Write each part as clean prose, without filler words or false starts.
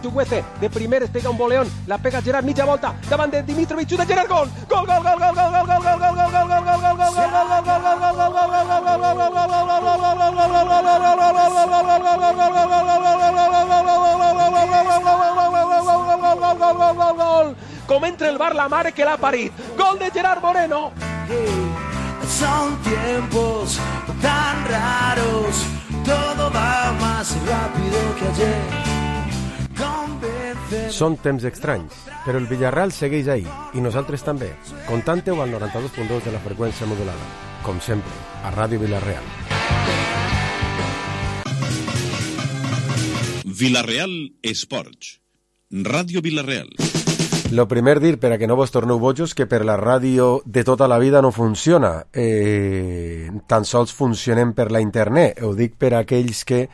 Chuguece, de primer es pega un boleón, la pega Gerard, mitja volta, davant de Dimitrovic, de Gerard, gol! Gol, gol, gol, gol, gol, gol, gol, gol, gol, gol, gol, gol, gol, gol, gol, com entra el bar la mare que l'ha parit, gol de Gerard Moreno. Son tiempos tan raros, todo va más rápido que ayer. Són temps estranys, però el Villarreal segueix ahí, i nosaltres també. Contante-ho al 92.2 de la freqüència modulada. Com sempre, a Ràdio Villarreal. Villarreal Esports. Ràdio Villarreal. Lo primer dir, per a que no vos torneu bojos, que per la ràdio de tota la vida no funciona. Tan sols funcionem per la internet. Ho dic per a aquells que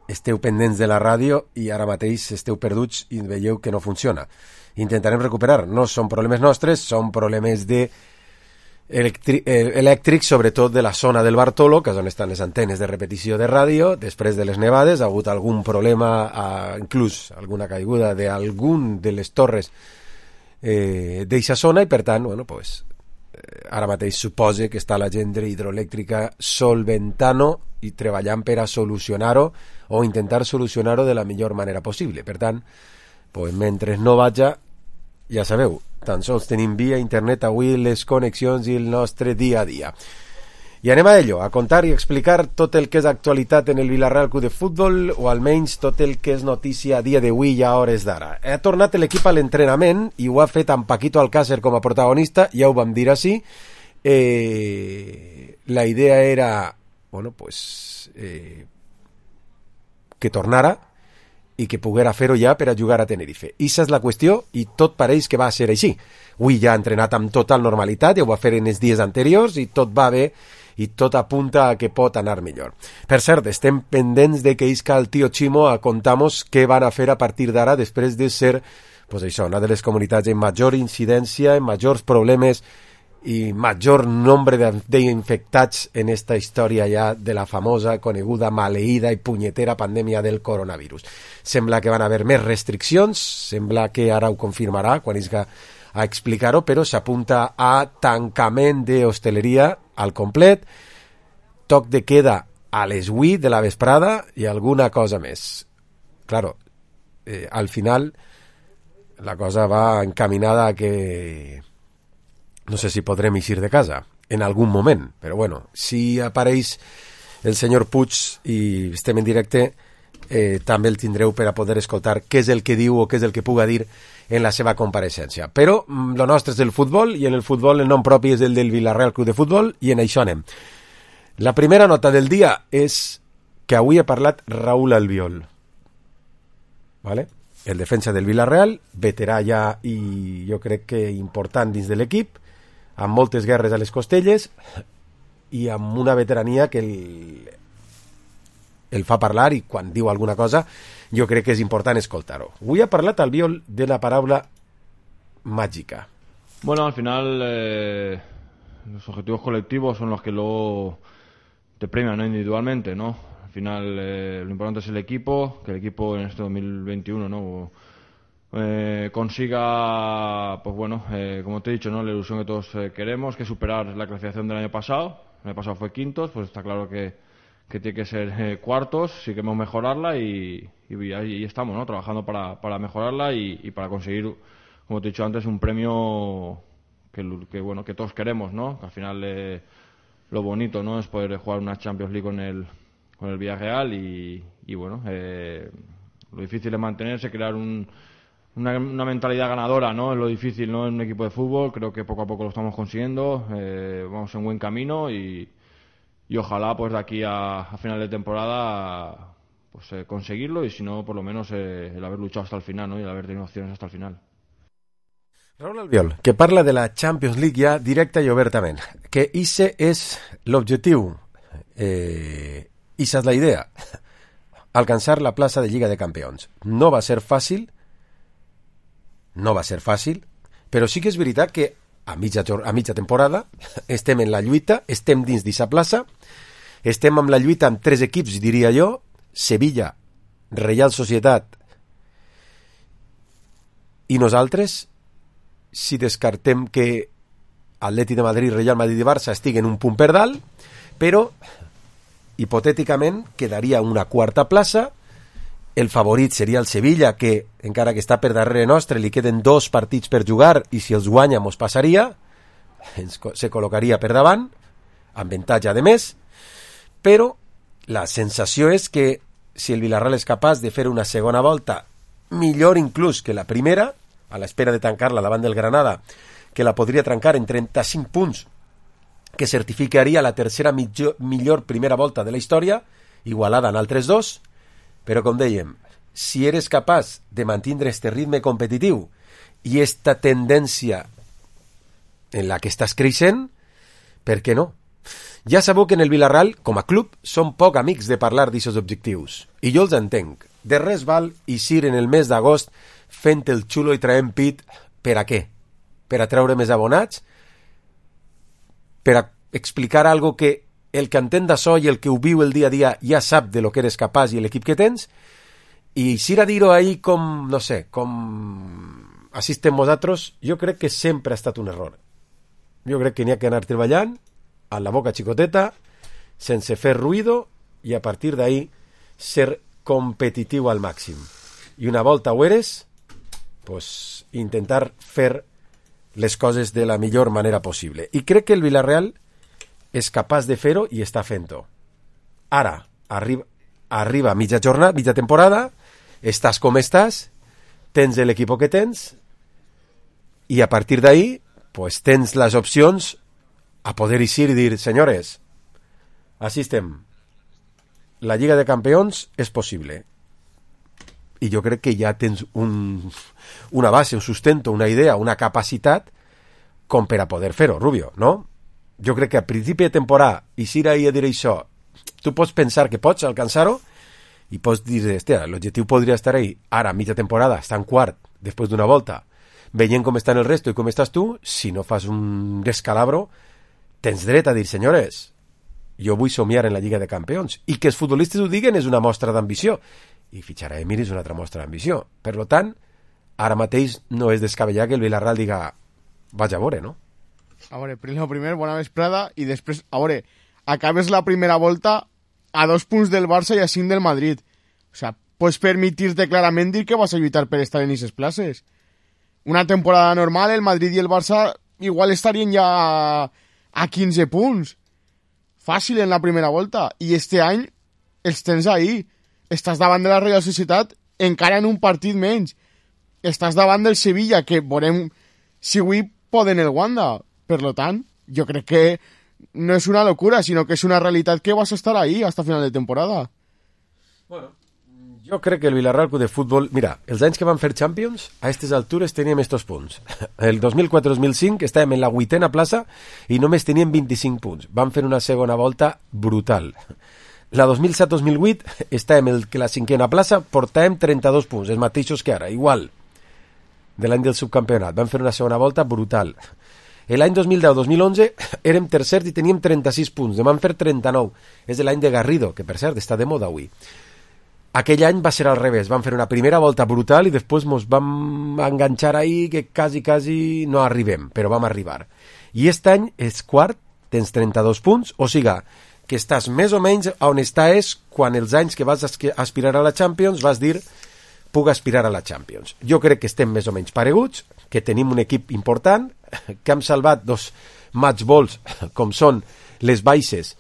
esteu pendents de la ràdio i ara mateix esteu perduts i veieu que no funciona. Intentarem recuperar. No són problemes nostres, són problemes de elèctrics, sobretot de la zona del Bartolo, que és on estan les antenes de repetició de ràdio. Després de les nevades ha hagut algun problema, inclús alguna caiguda d'algun de les torres d'eixa zona, i per tant, bueno, pues, ara mateix supose que està la gent de hidroelèctrica solventant-ho i treballant per a solucionar-ho o intentar solucionar-ho de la millor manera possible. Per tant, pues, mentre no vaja, ja sabeu, tan sols tenim via internet avui les connexions i el nostre dia a dia. I anem a ello, a contar i explicar tot el que és actualitat en el Villarreal Club de Futbol, o almenys tot el que és notícia a dia d'avui i a hores d'ara. Ha tornat l'equip a l'entrenament i ho ha fet amb Paquito Alcácer com a protagonista, ja ho vam dir així. La idea era, bueno, pues, que tornara i que poguera fer-ho ja per a jugar a Tenerife. Ixa és la qüestió, i tot pareix que va ser així. Avui ja ha entrenat amb total normalitat, ja ho va fer en els dies anteriors, i tot va bé, i tot apunta a que pot anar millor. Per cert, estem pendents de que isca el tio Chimo a contar-nos què van a fer a partir d'ara, després de ser, pues això, una de les comunitats amb major incidència, amb majors problemes i major nombre d'infectats en esta història ja de la famosa, coneguda, maleïda i punyetera pandèmia del coronavirus. Sembla que van haver més restriccions, sembla que ara ho confirmarà quan isca a explicar-ho, però s'apunta a tancament d'hostaleria al complet, toc de queda a les 8 de la vesprada i alguna cosa més. Claro, al final la cosa va encaminada a que no sé si podrem eixir de casa en algun moment, però bueno, si apareix el senyor Puig i estem en directe, també el tindreu per a poder escoltar què és el que diu o què és el que puga dir en la seva compareixença. Però lo nostre és el futbol, i en el futbol el nom propi és el del Villarreal Club de Futbol, i en això anem. La primera nota del dia és que avui ha parlat Raúl Albiol, ¿vale? El defensa del Villarreal, veterà ja i jo crec que important dins de l'equip, amb moltes guerres a les costelles i amb una veterania que el fa parlar, i quan diu alguna cosa jo crec que és important escoltar-ho. Avui ha parlat Albiol de la paraula mágica. Bueno, al final los objetivos colectivos son los que luego te premian, ¿no? Individualmente, ¿no? Al final lo importante es el equipo, que el equipo en este 2021, ¿no? Consiga, pues bueno, como te he dicho, ¿no? La ilusión que todos queremos, que superar la clasificación del año pasado. El año pasado fue quintos, pues está claro que tiene que ser cuartos, sí queremos mejorarla y ahí estamos, ¿no? Trabajando para mejorarla y para conseguir, como te he dicho antes, un premio que bueno, que todos queremos, ¿no? Que al final lo bonito, ¿no? Es poder jugar una Champions League con el Villarreal y bueno, lo difícil es mantenerse, crear una mentalidad ganadora, ¿no? Es lo difícil, ¿no? En un equipo de fútbol. Creo que poco a poco lo estamos consiguiendo, vamos en buen camino y ojalá pues de aquí a final de temporada pues conseguirlo, y si no, por lo menos el haber luchado hasta el final, ¿no? Y el haber tenido opciones hasta el final. Raúl Albiol, que parla de la Champions League ja directa i obertament, que ixe és l'objectiu, ixa és la idea, alcançar la plaça de Lliga de Campions. No va ser fàcil, però sí que és veritat que a mitja temporada estem en la lluita, estem dins d'aquesta plaça, estem amb la lluita amb 3 equips, diria jo: Sevilla, Real Societat i nosaltres, si descartem que Atleti de Madrid, Real Madrid i Barça estiguen un punt per dalt, però hipotèticament quedaria una quarta plaça. El favorit seria el Sevilla, que encara que està per darrere nostre li queden 2 partits per jugar i si els guanya mos passaria, se col·locaria per davant amb avantatge de més. Però la sensació és que si el Villarreal és capaç de fer una segona volta millor inclús que la primera, a l'espera de tancar-la davant del Granada, que la podria trencar en 35 punts, que certificaria la tercera millor primera volta de la història, igualada en altres 2, però com dèiem, si eres capaç de mantenir este ritme competitiu i esta tendència en la que estàs creixent, per què no? Ja sabeu que en el Villarreal, com a club, són poc amics de parlar d'aquests objectius, i jo els entenc. De res val eixir en el mes d'agost fent el xulo i traient pit. Per a què? Per a treure més abonats? Per a explicar algo que el que entén d'això i el que ho viu el dia a dia ja sap de lo que eres capaç i l'equip que tens, i eixir a dir-ho ahir com, no sé, com així estem vosaltres, jo crec que sempre ha estat un error. Jo crec que n'hi ha que anar treballant a la boca xicoteta, sense fer ruïdo, i a partir d'ahí ser competitiu al màxim. I una volta ho eres, pues intentar fer les coses de la millor manera possible. I crec que el Villarreal és capaç de fer-ho i està fent-ho. Ara, arriba mitja jornada, mitja temporada, estàs com estàs, tens l'equip que tens, i a partir d'ahí pues tens les opcions a poder eixir i dir, senyores, així estem. La Lliga de Campions és possible. I jo crec que ja tens una base, un sustento, una idea, una capacitat com per a poder fer-ho, Rubio, no? Jo crec que a principi de temporada, eixir ahir a dir això, tu pots pensar que pots alcançar-ho i pots dir, hòstia, l'objectiu podria estar ahí. Ara, mitja temporada, està en quart, després d'una volta, veient com estan el resto i com estàs tu, si no fas un descalabro, tens dret a dir, senyores, jo vull somiar en la Lliga de Campions. I que els futbolistes ho diguen és una mostra d'ambició. I fitxar a Emir és una altra mostra d'ambició. Per tant, ara mateix no és descabellar que el Villarreal diga vaig a veure, no? A veure, primer, bona vesprada, i després, a veure, acabes la primera volta a 2 punts del Barça i a 5 del Madrid. O sea, pots permitir-te clarament dir que vas a lluitar per estar en aquestes places. Una temporada normal, el Madrid i el Barça igual estarien ja a 15 punts. Fàcil en la primera volta. I este any els tens ahí. Estàs davant de la Real Societat encara en un partit menys. Estàs davant del Sevilla, que veurem si avui poden el Wanda. Per tant, jo crec que no és una locura, sinó que és una realitat que vas a estar ahí hasta final de temporada. Bueno, jo crec que el Villarreal Club de Futbol... Mira, els anys que van fer Champions, a aquestes altures teníem estos punts. El 2004-2005 estàvem en la 8ª plaça i només teníem 25 punts. Van fer una segona volta brutal. La 2007-2008 estàvem en la 5ª plaça, portàvem 32 punts, els mateixos que ara, igual, de l'any del subcampionat. Van fer una segona volta brutal. L'any 2010-2011 érem tercers i teníem 36 punts, en van fer 39. És l'any de Garrido, que per cert està de moda avui. Aquell any va ser al revés, van fer una primera volta brutal i després ens vam enganxar ahí que quasi no arribem, però vam arribar. I aquest any és quart, tens 32 punts, o siga, que estàs més o menys on estàs quan els anys que vas aspirar a la Champions vas dir puc aspirar a la Champions. Jo crec que estem més o menys pareguts, que tenim un equip important, que hem salvat 2 match balls com són les baixes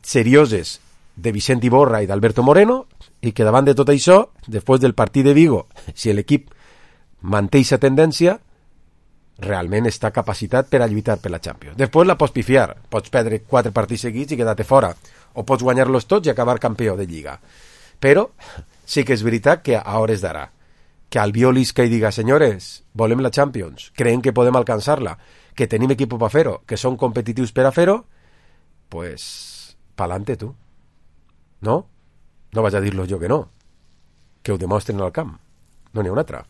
serioses de Vicent Iborra i d'Alberto Moreno, i que davant de tot això, després del partit de Vigo, si l'equip manté aquesta tendència, realment està capacitat per a lluitar per la Champions. Després la pots pifiar, pots perdre 4 partits seguits i quedar-te fora, o pots guanyar-los tots i acabar campió de Lliga. Però sí que és veritat que a hores d'ara, que Albiol isca i diga, senyores, volem la Champions, creiem que podem alcançar-la, que tenim equip per fer-ho, que són competitius per a fer-ho, pues, pa'lante tu. No? No vaig a dir-lo jo que no. Que ho demostren al camp. No n'hi ha una altra.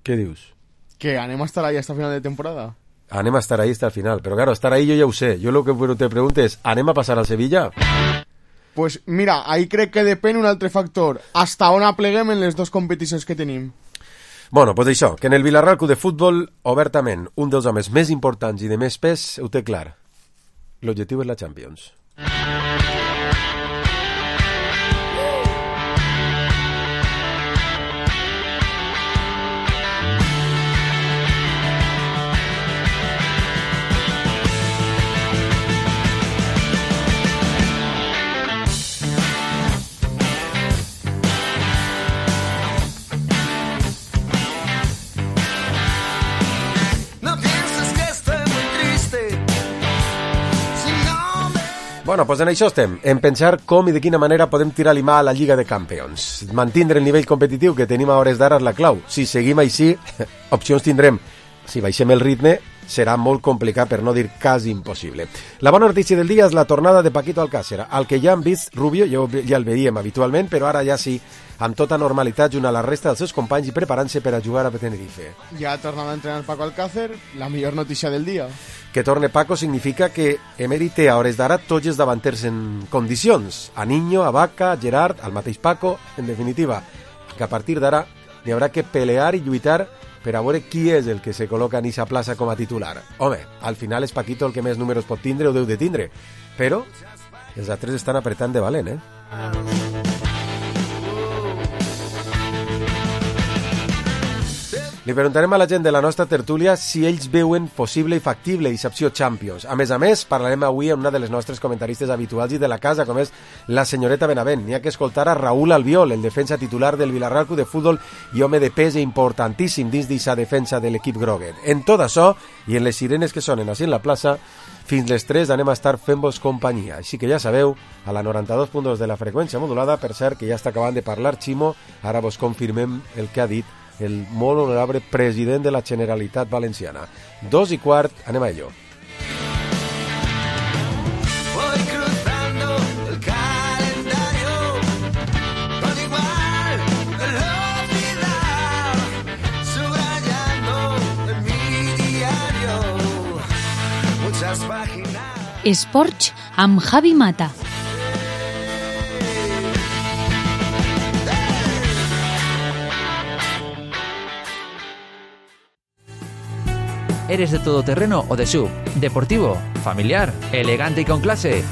Què dius? Que anem a estar ahí hasta final de temporada. anem a estar ahí hasta el final. Pero claro, estar ahí yo ya ho sé. Yo lo que te pregunto es, ¿anem a passar al Sevilla? Pues mira, ahí crec que depèn un altre factor. Hasta on apleguem en les dues competicions que tenim. Bueno, pues això, que en el Vilarreal Club de Futbol, obertament, un dels homes més importants i de més pes ho té clar. L'objectiu és la Champions. Bueno, pues en això estem, en pensar com i de quina manera podem tirar l'imà a la Lliga de Campions. Mantindre el nivell competitiu que tenim a hores d'ara és la clau. Si seguim així, opcions tindrem. Si baixem el ritme, serà molt complicat, per no dir quasi impossible. La bona notícia del dia és la tornada de Paquito Alcácer, al que ja hem vist Rubio, ja el veiem habitualment, però ara ja sí, amb tota normalitat, junt a la resta dels seus companys i preparant-se per a jugar a Tenerife. Ja ha tornat a entrenar Paco Alcácer, la millor notícia del dia. Que torne Paco significa que Emery té a hores d'ara tots els davanters en condicions. A Niño, a Vaca, a Gerard, al mateix Paco, en definitiva, que a partir d'ara n'hi haurà que pelear i lluitar per a veure qui és el que se col·loca en aquesta plaça com a titular. Home, al final és Paquito el que més números pot tindre o deu de tindre, però els altres estan apretant de valent, Li preguntarem a la gent de la nostra tertúlia si ells veuen possible i factible aquesta opció Champions. A més, parlarem avui amb una de les nostres comentaristes habituals i de la casa, com és la senyoreta Benavent. N'hi ha que escoltar a Raúl Albiol, el defensa titular del Vilarreal Club de Futbol i home de pes importantíssim dins d'aquesta defensa de l'equip groguet. En tot això, i en les sirenes que sonen així en la plaça, fins les 3 anem a estar fent-vos companyia. Així que ja sabeu, a la 92.2 de la freqüència modulada, per cert que ja està acabant de parlar Ximo, ara vos confirmem el que ha dit el molt honorable president de la Generalitat Valenciana. 2:15, anem a ello. Voy cruzando el calendario con igual velocidad, subrayando en mi diario muchas páginas. Esports amb Javi Mata. ¿Eres de todoterreno o de SUV? ¿Deportivo? ¿Familiar? ¿Elegante y con clase?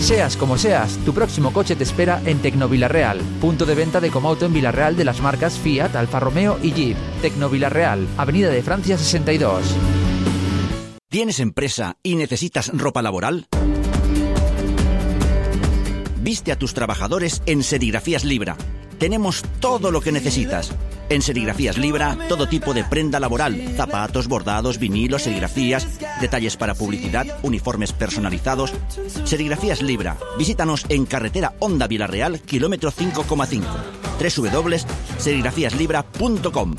Seas como seas, tu próximo coche te espera en Tecnovilarreal, punto de venta de Comauto en Vilarreal de las marcas Fiat, Alfa Romeo y Jeep. Tecnovilarreal, Avenida de Francia 62. ¿Tienes empresa y necesitas ropa laboral? Viste a tus trabajadores en Serigrafías Libra. Tenemos todo lo que necesitas. En Serigrafías Libra, todo tipo de prenda laboral, zapatos, bordados, vinilos, serigrafías, detalles para publicidad, uniformes personalizados. Serigrafías Libra. Visítanos en carretera Honda Vilarreal, kilómetro 5,5. www.serigrafíaslibra.com.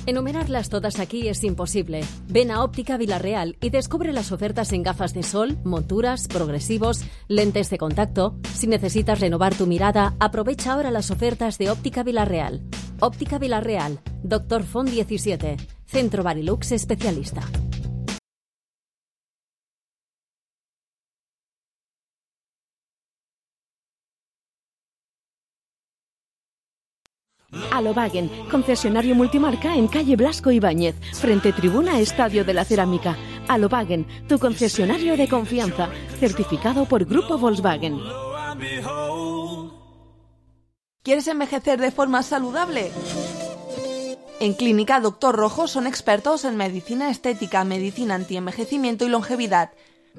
Enumerarlas todas aquí es imposible. Ven a Óptica Vilarreal y descubre las ofertas en gafas de sol, monturas, progresivos, lentes de contacto. Si necesitas renovar tu mirada, aprovecha ahora las ofertas de Óptica Vilarreal. Óptica Vilarreal, Dr. Font 17, Centro Barilux Especialista. Alobagen, concesionario multimarca en calle Blasco Ibáñez, frente tribuna Estadio de la Cerámica. Alobagen, tu concesionario de confianza, certificado por Grupo Volkswagen. ¿Quieres envejecer de forma saludable? En Clínica Dr. Rojo son expertos en medicina estética, medicina antienvejecimiento y longevidad.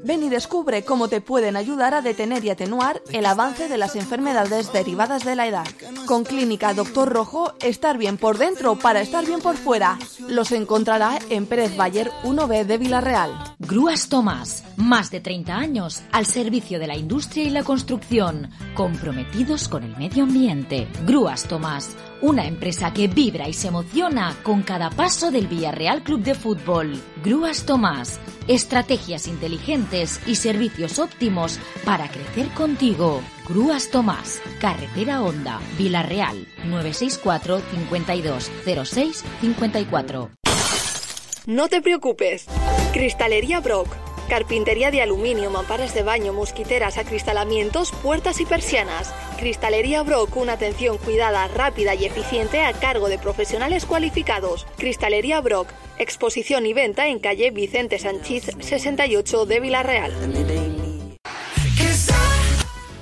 Ven y descubre cómo te pueden ayudar a detener y atenuar el avance de las enfermedades derivadas de la edad. Con Clínica Dr. Rojo, estar bien por dentro para estar bien por fuera. Los encontrará en Pérez Bayer 1B de Vilarreal. Grúas Tomás, más de 30 años al servicio de la industria y la construcción, comprometidos con el medio ambiente. Grúas Tomás, una empresa que vibra y se emociona con cada paso del Villarreal Club de Fútbol. Grúas Tomás, estrategias inteligentes y servicios óptimos para crecer contigo. Grúas Tomás, Carretera Honda, Vila-real, 964 52 06 54. No te preocupes. Cristalería Brock. Carpintería de aluminio, mamparas de baño, mosquiteras, acristalamientos, puertas y persianas. Cristalería Brock, una atención cuidada, rápida y eficiente a cargo de profesionales cualificados. Cristalería Brock, exposición y venta en calle Vicente Sanchiz 68 de Vila-real.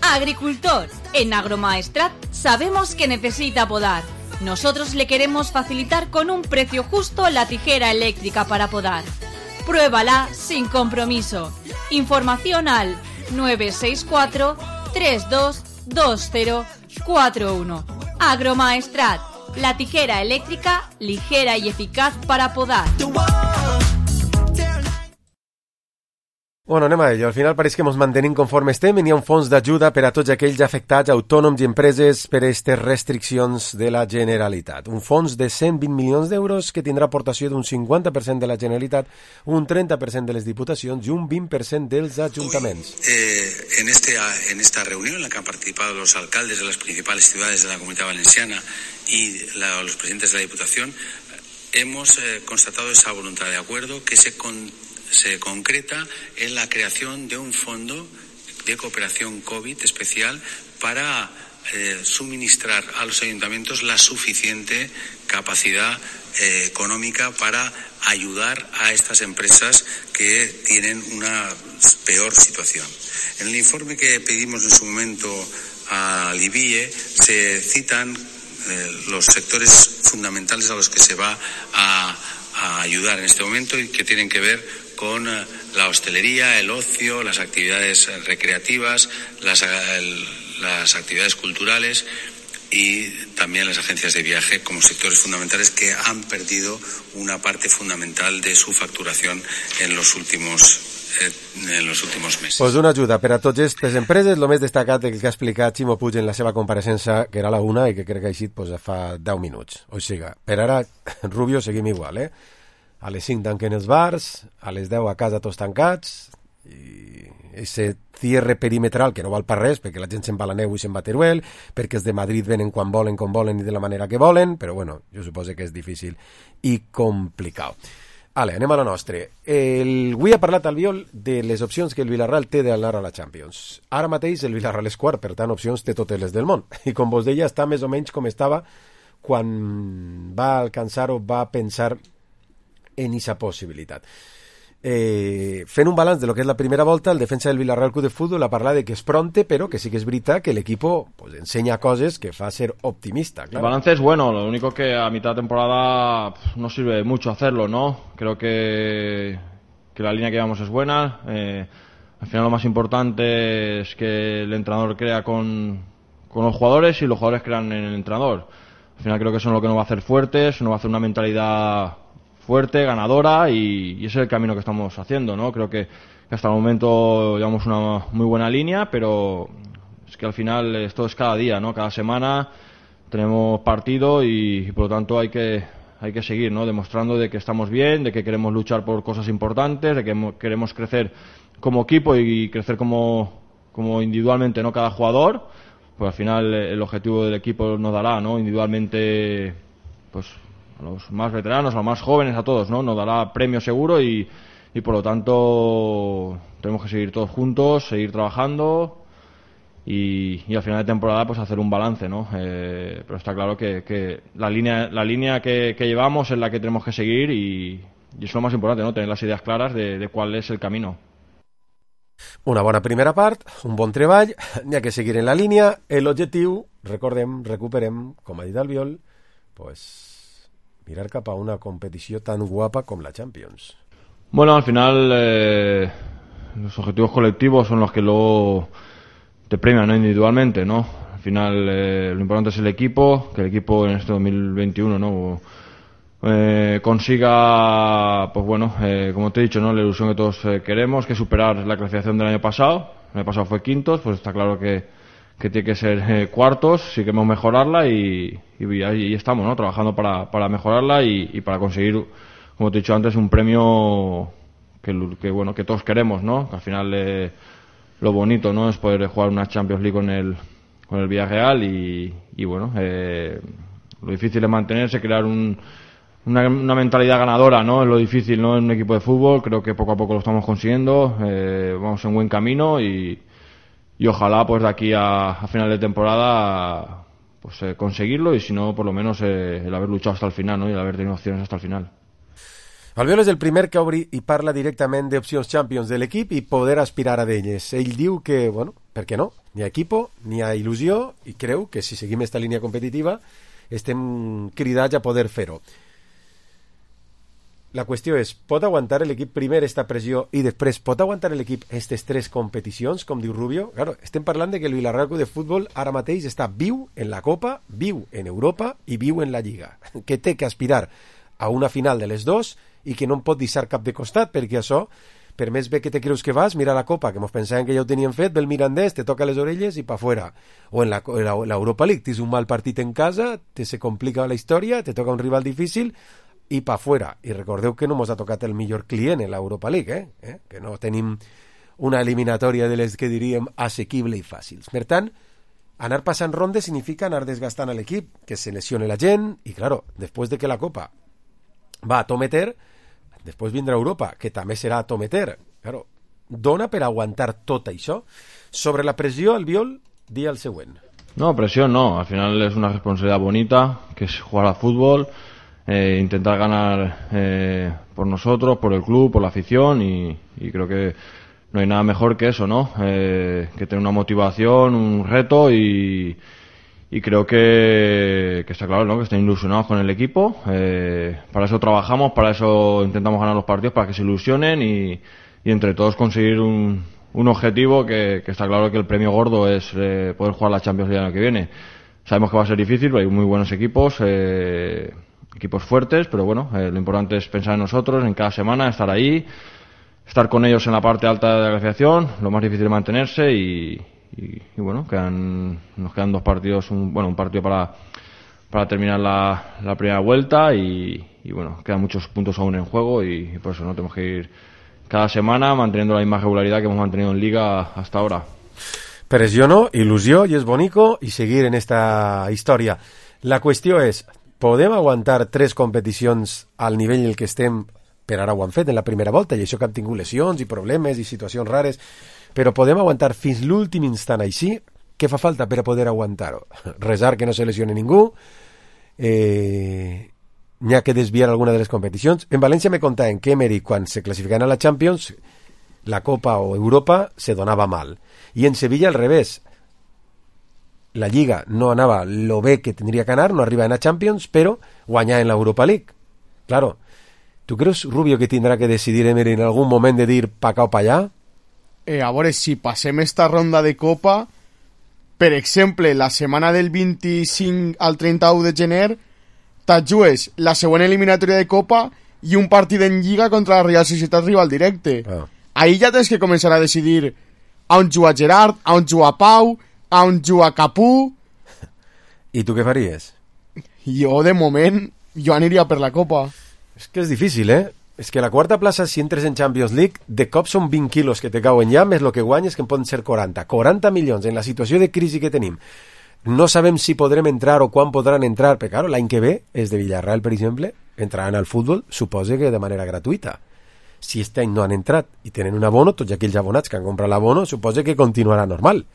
Agricultor, en Agromaestrat sabemos que necesita podar. Nosotros le queremos facilitar con un precio justo la tijera eléctrica para podar. Pruébala sin compromiso. Información al 964 322041. Agromaestrat, la tijera eléctrica ligera y eficaz para podar. Bueno, anem a ello. Al final pareix que ens mantenim conforme estem. Hi ha un fons d'ajuda per a tots aquells afectats, autònoms i empreses per a aquestes restriccions de la Generalitat. Un fons de 120 milions d'euros que tindrà aportació d'un 50% de la Generalitat, un 30% de les diputacions i un 20% dels ajuntaments. En esta reunión en la que han participado los alcaldes de las principales ciudades de la Comunidad Valenciana y los presidentes de la Diputación, hemos constatado esa voluntad de acuerdo que se concreta en la creación de un fondo de cooperación COVID especial para suministrar a los ayuntamientos la suficiente capacidad económica para ayudar a estas empresas que tienen una peor situación. En el informe que pedimos en su momento al IBIE se citan los sectores fundamentales a los que se va a ayudar en este momento y que tienen que ver con la hostelería, el ocio, las actividades recreativas, las actividades culturales y también las agencias de viaje como sectores fundamentales que han perdido una parte fundamental de su facturación en los últimos meses. Pues una ajuda per a tots aquestes empreses, el més destacat del que ha explicat Ximo Puig en la seva compareixença, que era la una i que crec que ha eixit fa 10 minuts. O sigui, per ara, Rubio, seguim igual, A les 5 tanquen els bars, a les 10 a casa tots tancats, i ese cierre perimetral que no val per res, perquè la gent se'n va a la neu i se'n va a Teruel, perquè els de Madrid venen quan volen, com volen i de la manera que volen, però bueno, jo suposo que és difícil i complicat. Ale, anem a la nostra. Avui ha parlat Albiol de les opcions que el Villarreal té d'anar a la Champions. Ara mateix el Villarreal és quart, per tant opcions té totes les del món. I com vos deia, està més o menys com estava quan va alcançar o va pensar en aquesta possibilitat. Fent un balanç de lo que és la primera volta, el defensa del Villarreal Club de Fútbol ha parlat de que és pronte, però que sí que és veritat que el equipo pues, enseña cosas que fa ser optimista. Claro. El balance es bueno, lo único que a mitad de temporada no sirve mucho hacerlo, ¿no? Creo que la línea que llevamos es buena. Al final lo más importante es que el entrenador crea con los jugadores y los jugadores crean en el entrenador. Al final creo que eso es lo que nos va a hacer fuertes, nos va a hacer una mentalidad fuerte, ganadora y ese es el camino que estamos haciendo, ¿no? Creo que hasta el momento llevamos una muy buena línea, pero es que al final esto es cada día, ¿no? Cada semana tenemos partido y por lo tanto hay que seguir, ¿no? Demostrando de que estamos bien, de que queremos luchar por cosas importantes, de que queremos crecer como equipo y crecer como individualmente, ¿no? Cada jugador, pues al final el objetivo del equipo nos dará, ¿no? Individualmente, pues a los más veteranos, a los más jóvenes, a todos, ¿no? Nos dará premio seguro y por lo tanto tenemos que seguir todos juntos, seguir trabajando y al final de temporada pues hacer un balance, ¿no? Pero está claro que la línea que llevamos es la que tenemos que seguir y eso es lo más importante, ¿no? Tener las ideas claras de cuál es el camino. Una bona primera part, un bon treball, n'hi ha que seguir en la línia, l'objectiu, recuperem, com ha dit Albiol, pues mirar cap a una competició tan guapa com la Champions. Bueno, al final los objetivos colectivos son los que luego te premian, ¿no? Individualmente, ¿no? Al final lo importante es el equipo, que el equipo en este 2021, ¿no? Consiga, pues bueno, como te he dicho, ¿no? La ilusión que todos queremos, que superar la clasificación del año pasado. El año pasado fue quintos, pues está claro que tiene que ser cuartos, sí que queremos mejorarla y ahí estamos, ¿no? Trabajando para mejorarla y para conseguir, como te he dicho antes, un premio bueno, que todos queremos, ¿no? Que al final lo bonito, ¿no? Es poder jugar una Champions League con el Villarreal y bueno, lo difícil es mantenerse, crear una mentalidad ganadora, ¿no? Es lo difícil, ¿no? En un equipo de fútbol. Creo que poco a poco lo estamos consiguiendo. Vamos en buen camino y ojalá pues de aquí a final de temporada pues conseguirlo, y si no, por lo menos el haber luchado hasta el final, ¿no? Y el haber tenido opciones hasta el final. Albiol és el primer que obri i parla directament d'opcions Champions de l'equip i poder aspirar a d'elles. Ell diu que, bueno, per què no? N'hi ha equipo, n'hi ha il·lusió, i creu que si seguim esta línia competitiva estem cridats a poder fer-ho. La qüestió és, pot aguantar l'equip primer esta pressió i després pot aguantar l'equip aquestes 3 competicions, com diu Rubio? Claro, estem parlant de que el Villarreal Club de Futbol ara mateix està viu en la Copa, viu en Europa i viu en la Lliga, que té que aspirar a una final de les dos i que no em pot deixar cap de costat, perquè això, per més bé que te creus que vas, mira la Copa, que mos pensàvem que ja ho tenien fet, ve el Mirandés, te toca les orelles i pa fuera. O en l'Europa League, tens un mal partit en casa, se complica la història, te toca un rival difícil i pa fuera. I recordeu que no mos ha tocat el millor client en l'Europa League, que no tenim una eliminatòria de les que diríem assequible i fàcils. Per tant, anar passant rondes significa anar desgastant a l'equip, que se lesione la gent, i claro, després de que la Copa va a tometer, després vindrà Europa, que també serà a tometer. Claro, dona per aguantar tot això? Sobre la pressió, Albiol, di el següent. No, presión no. Al final es una responsabilidad bonita, que es jugar al fútbol, intentar ganar por nosotros, por el club, por la afición, y creo que no hay nada mejor que eso, ¿no? Que tener una motivación, un reto, y creo que está claro, ¿no? Que estén ilusionados con el equipo. Para eso trabajamos, para eso intentamos ganar los partidos, para que se ilusionen y entre todos conseguir un objetivo que está claro que el premio gordo es poder jugar la Champions League el año que viene. Sabemos que va a ser difícil, pero hay muy buenos equipos, equipos fuertes, pero bueno, lo importante es pensar en nosotros, en cada semana, estar ahí, estar con ellos en la parte alta de la clasificación, lo más difícil es mantenerse y bueno, nos quedan 2 partidos, un partido para terminar la primera vuelta y bueno, quedan muchos puntos aún en juego y por eso no tenemos que ir cada semana manteniendo la misma regularidad que hemos mantenido en Liga hasta ahora. Pressió no, il·lusió, i és bonico, i seguir en esta història. La qüestió és, podem aguantar 3 competicions al nivell en el que estem? Per ara ho han fet en la primera volta, i això que han tingut lesions i problemes i situacions rares, però podem aguantar fins l'últim instant així? Què fa falta per a poder aguantar-ho? Resar que no se lesione ningú, n'hi ha que desviar alguna de les competicions. En València me contaven que Emery, quan se classificaven a la Champions, la Copa o Europa se donava mal, i en Sevilla al revés, la Lliga no anava lo bé que tindria que anar, no arriba a Champions, però guanyar en l'Europa League. Claro, tu creus, Rubio, que tindrà que decidir Emery en algun moment de dir pa acá o pa allà? A veure, si passem esta ronda de Copa, per exemple, la setmana del 25 al 31 de gener, te'n jugues la següent eliminatòria de Copa i un partit en Lliga contra la Real Societat rival directe. Ahí ja tens que començar a decidir a on juga Gerard, a on juga Pau, a on juga Capú. I tu què faries? Jo, de moment, jo aniria per la Copa. És que és difícil, És que la quarta plaça, si entres en Champions League, de cop són 20 quilos que te cauen ja, més el que guanyes, que en poden ser 40. 40 milions en la situació de crisi que tenim. No sabem si podrem entrar o quan podran entrar, però claro, l'any que ve, és de Villarreal, per exemple, entraran al futbol, suposa que de manera gratuïta. Si este any no han entrat i tenen un abono, tots aquells abonats que han comprat l'abono, suposa que continuarà normal.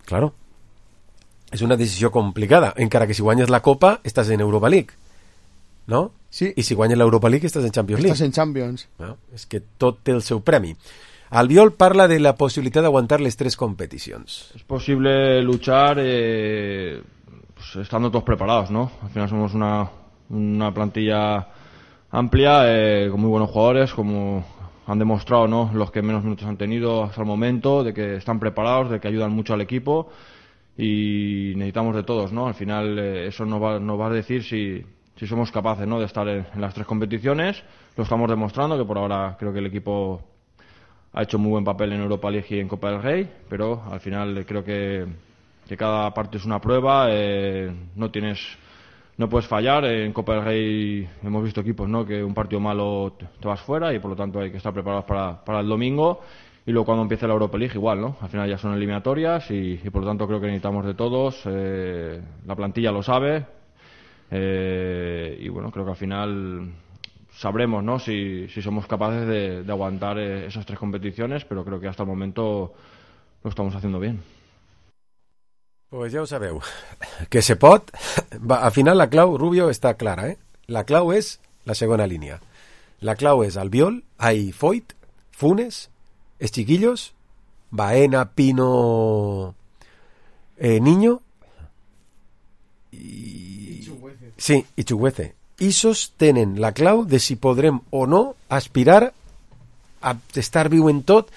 Claro. És una decisió complicada, encara que si guanyes la Copa, estàs en Europa League. ¿No? Sí. I si guanyes l'Europa League estàs en Champions League. Estàs en Champions. No? És que tot té el seu premi. Albiol parla de la possibilitat d'aguantar les 3 competicions. Es posible luchar pues, estando todos preparados, ¿no? Al final somos una plantilla amplia, con muy buenos jugadores, como han demostrado, ¿no? Los que menos minutos han tenido hasta el momento, de que están preparados, de que ayudan mucho al equipo y necesitamos de todos, ¿no? Al final eso nos va a decir si somos capaces, ¿no? De estar en las 3 competiciones. Lo estamos demostrando, que por ahora creo que el equipo ha hecho muy buen papel en Europa League y en Copa del Rey, pero al final creo que cada parte es una prueba, no tienes no puedes fallar. En Copa del Rey hemos visto equipos, ¿no?, que un partido malo te vas fuera y por lo tanto hay que estar preparados para el domingo. Y luego cuando empiece la Europa League igual, ¿no? Al final ya son eliminatorias y por lo tanto creo que necesitamos de todos. La plantilla lo sabe. Y bueno, creo que al final sabremos, ¿no?, si somos capaces de aguantar esas 3 competiciones, pero creo que hasta el momento lo estamos haciendo bien. Pues ja ho sabeu, que se pot. Al final la clau, Rubio, està clara, eh? La clau és la segona línia. La clau és Albiol, Foyt, Funes, els chiquillos, Baena, Pino, Niño i Chuguece. Isos tenen la clau de si podrem o no aspirar a estar viu en tot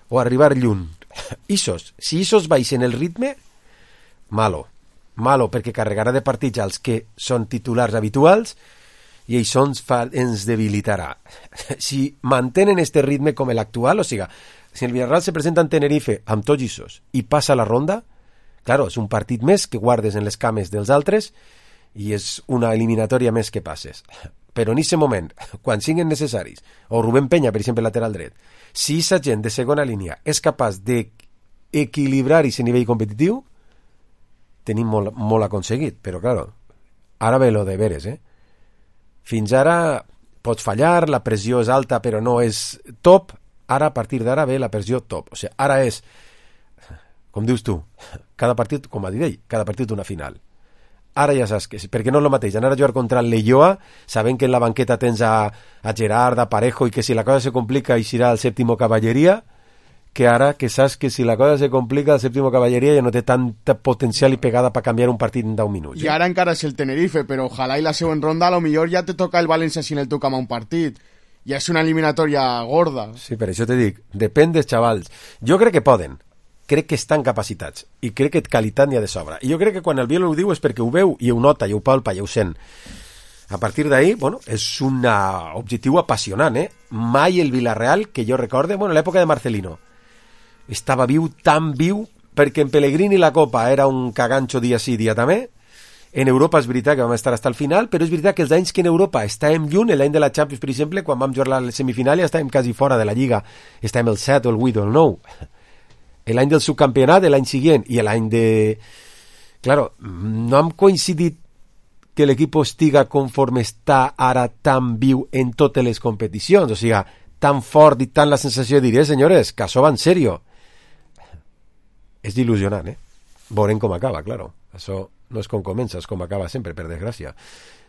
o arribar lluny. Isos, si Isos baixen el ritme, malo, perquè carregarà de partits als que són titulars habituals i això ens debilitarà. Si mantenen este ritme com l'actual, o sigui, si el Villarreal se presenta en Tenerife amb tots Isos i passa la ronda, claro, és un partit més que guardes en les cames dels altres i és una eliminatòria més que passes. Però en aquest moment, quan siguin necessaris, o Rubén Peña, per exemple, lateral dret, si aquesta gent de segona línia és capaç d'equilibrar aquest nivell competitiu, tenim molt aconseguit, però claro, ara ve lo de veres, Fins ara pots fallar, la pressió és alta però no és top, ara a partir d'ara ve la pressió top, o sigui, ara és, com dius tu, cada partit, com ha dit ell, cada partit una final. Ara ja saps que, perquè no és el mateix, anar a jugar contra el Leioa, sabent que en la banqueta tens a Gerard, a Parejo, i que si la cosa se complica eixirà el sèptimo cavalleria, que ara que saps que si la cosa se complica el sèptimo cavalleria ja no té tanta potencial i pegada per canviar un partit en 10 minuts. I ara encara és el Tenerife, però ojalà i la següent ronda a lo millor ja te toca el València si en el toca un partit. Ja és una eliminatòria gorda. Sí, per això te dic, depèn dels xavals. Jo crec que poden, crec que estan capacitats i crec que qualitat n'hi ha de sobra. I jo crec que quan el Biel ho diu és perquè ho veu i ho nota, i ho palpa, i ho sent. A partir d'ahí, bueno, és un objectiu apassionant, Mai el Villarreal, que jo recorde, bueno, l'època de Marcelino, estava viu, tan viu, perquè en Pellegrini la Copa era un caganxo dia sí, dia també. En Europa és veritat que vam estar fins al final, però és veritat que els anys que en Europa estàvem lluny, l'any de la Champions, per exemple, quan vam jugar la semifinal ja estàvem quasi fora de la Lliga, estàvem el 7 o el 8 o el 9. L'any del subcampionat, l'any següent, i l'any de... Claro, no hem coincidit que l'equip estiga conforme està ara tan viu en totes les competicions, o sigui, tan fort i tan la sensació de dir, senyores, que això va en sèrio. És il·lusionant, Veurem com acaba, claro. Això no és com comença, és com acaba sempre, per desgràcia.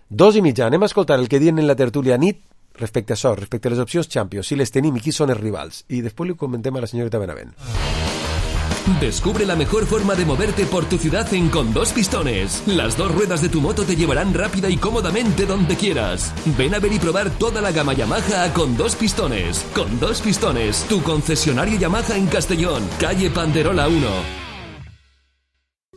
2:30, anem a escoltar el que diuen en la tertúlia nit respecte a això, respecte a les opcions Champions, si les tenim i qui són els rivals. I després li comentem a la senyorita Benavent. Descubre la mejor forma de moverte por tu ciudad en Con Dos Pistones. Las 2 ruedas de tu moto te llevarán rápida y cómodamente donde quieras. Ven a ver y probar toda la gama Yamaha a Con Dos Pistones. Con Dos Pistones, tu concesionario Yamaha en Castellón, calle Panderola 1.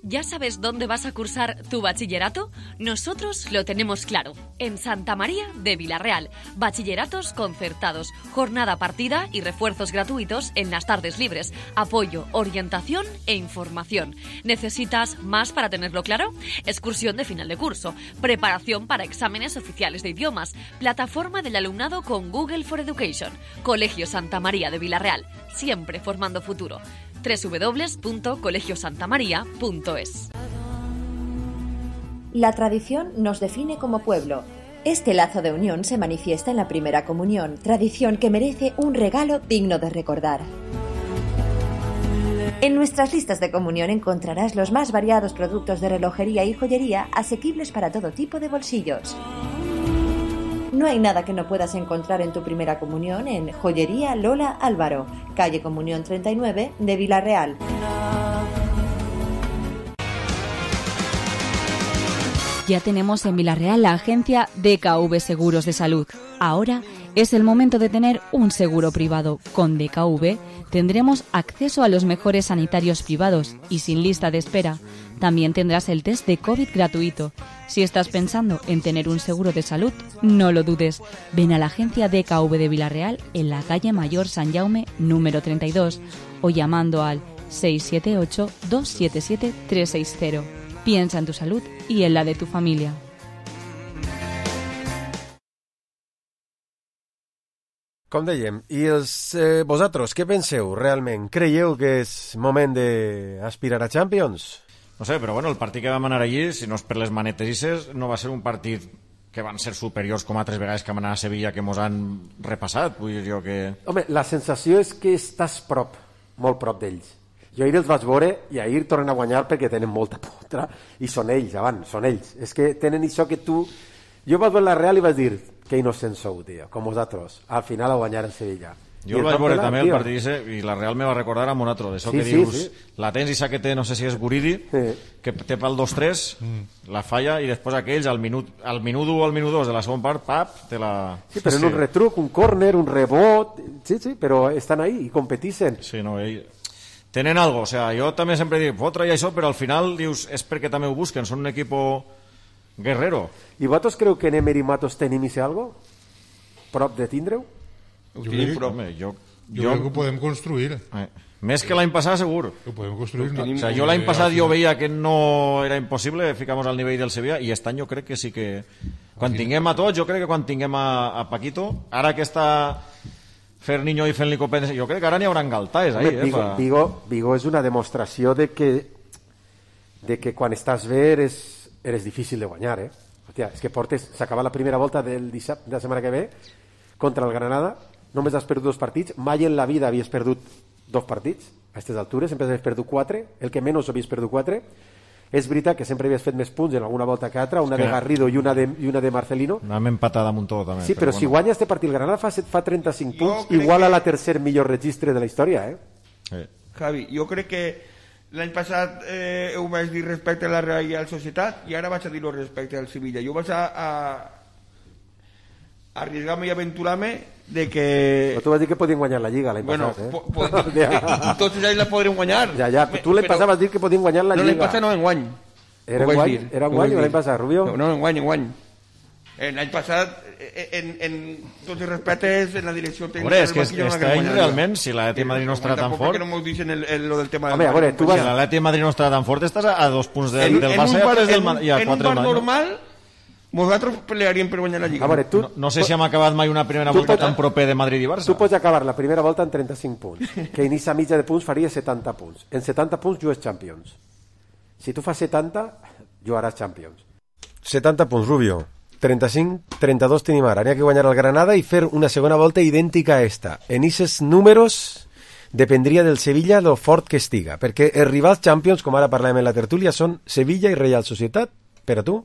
¿Ya sabes dónde vas a cursar tu bachillerato? Nosotros lo tenemos claro. En Santa María de Villarreal. Bachilleratos concertados, jornada partida y refuerzos gratuitos en las tardes libres. Apoyo, orientación e información. ¿Necesitas más para tenerlo claro? Excursión de final de curso. Preparación para exámenes oficiales de idiomas. Plataforma del alumnado con Google for Education. Colegio Santa María de Villarreal. Siempre formando futuro. www.colegiosantamaria.es. La tradición nos define como pueblo. Este lazo de unión se manifiesta en la primera comunión, tradición que merece un regalo digno de recordar. En nuestras listas de comunión encontrarás los más variados productos de relojería y joyería asequibles para todo tipo de bolsillos. No hay nada que no puedas encontrar en tu primera comunión en Joyería Lola Álvaro, calle Comunión 39 de Villarreal. Ya tenemos en Villarreal la agencia DKV Seguros de Salud. Ahora es el momento de tener un seguro privado. Con DKV tendremos acceso a los mejores sanitarios privados y sin lista de espera. También tendrás el test de COVID gratuito. Si estás pensando en tener un seguro de salud, no lo dudes. Ven a la agencia DKV de Villarreal en la calle Mayor San Jaume número 32 o llamando al 678-277-360. Piensa en tu salud y en la de tu familia. Com dèiem, i vosaltres, què penseu realment? Creieu que és moment d'aspirar a Champions? No sé, però bueno, el partit que vam anar allí, si no és per les manetes, no va ser un partit que van ser superiors com altres vegades que vam anar a Sevilla, que mos han repassat. Vull dir jo que... Home, la sensació és que estàs molt prop d'ells. Jo ahir els vaig veure i ahir tornen a guanyar perquè tenen molta potra i són ells, són ells. És que tenen això que tu... Jo vaig veure la Real i vaig dir que innocents sou, tio, com vosaltres. Al final a guanyar en Sevilla. Jo el vaig veure també el partit i la Real me va recordar a un altre, d'això que dius, la tens i que té, no sé si és Guridi, que té pel 2-3, la falla, i després aquells, al minut 1 o al minut 2 de la segona part, pap, te la... Sí, però en un retruc, un córner, un rebot, sí, però estan ahí i competeixen. Sí, no, tenen algo, o sea, jo també sempre dic, fotre i això, però al final dius, és perquè també ho busquen, són un equipo guerrero. I vosaltres creu que Nemer i Matos tenim i algo? Prop de tindre-ho? Jo crec que ho podem construir. Més que l'any passat, segur. Ho podem construir. O sea, jo l'any passat jo veia que no era impossible, ficamos al nivell del Sevilla, i aquest any jo crec que sí que... Quan tinguem a tots, jo crec que quan tinguem a Paquito, ara que està Ferniño i fent-li competència, jo crec que ara n'hi haurà galtaes. Vigo és una demostració de que quan estàs bé eres difícil de guanyar, Hòstia, és que s'acaba la primera volta de la setmana que ve contra el Granada, només has perdut 2 partits, mai en la vida havies perdut 2 partits a aquestes altures, sempre havies perdut 4, el que menys havies perdut 4. És veritat que sempre havies fet més punts en alguna volta que altra, una de Garrido i una de Marcelino. Anem empatada amb un tot també. Sí, però si guanya este partit el Granada fa 35 punts, igual a la tercer millor registre de la història, Javi, jo crec que l'any passat ho vaig dir respecte a la Real Societat i ara vaig a dir-ho respecte al Sevilla. Jo vaig a arriesgar-me i aventurar-me de que... Però tu vas dir que podien guanyar la Lliga l'any passat, Tots ells la podrem guanyar. Ja, tu l'any passat vas dir que podien guanyar la Lliga. No, l'any passat no, enguany. Era enguany o l'any passat, Rubio? No, enguany. L'any passat, en tots els respectes, en la direcció tècnica... Hombre, és que aquest any realment, si l'Atleti Madrid no estarà tan fort... Perquè no m'ho dicen lo del tema... Home, a veure, tu vas... Si l'Atleti Madrid no estarà tan fort, estàs a 2 punts del Barça i a 4 del Madrid. En un part normal... Nosaltres pelearíem per guanyar la Lliga. Veure, no sé si hem acabat mai una primera volta tan proper de Madrid i Barça. Tu pots acabar la primera volta en 35 punts, que en aquesta mitja de punts faria 70 punts. En 70 punts jugues Champions. Si tu fas 70, jugaràs Champions. 70 punts, Rubio. 35, 32 tenim ara. N'hi ha que guanyar el Granada i fer una segona volta idèntica a esta. En aquests números dependria del Sevilla lo fort que estiga, perquè els rivals Champions, com ara parlàvem en la tertúlia, són Sevilla i Real Societat. Per a tu?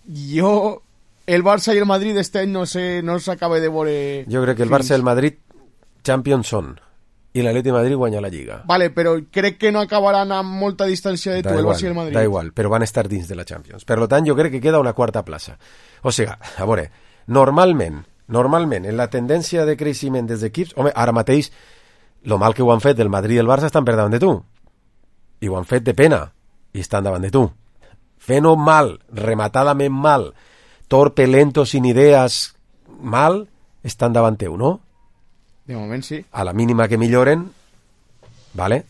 Jo, el Barça i el Madrid este any no s'acaba de veure... Jo crec que el Barça i el Madrid Champions són, i l'Atleti Madrid guanya la Lliga. Vale, però crec que no acabaran amb molta distància de tu, el Barça i el Madrid. Da igual, però van estar dins de la Champions. Per tant, jo crec que queda una quarta plaça. O sigui, a veure, normalment, en la tendència de creixement dels equips... Home, ara mateix, lo mal que ho han fet el Madrid i el Barça estan per davant de tu. I ho han fet de pena, i estan davant de tu. Fent-ho mal, rematadament mal, torpe, lento, sin idees, mal, estan davant teu, no? De moment sí. A la mínima que milloren, vale,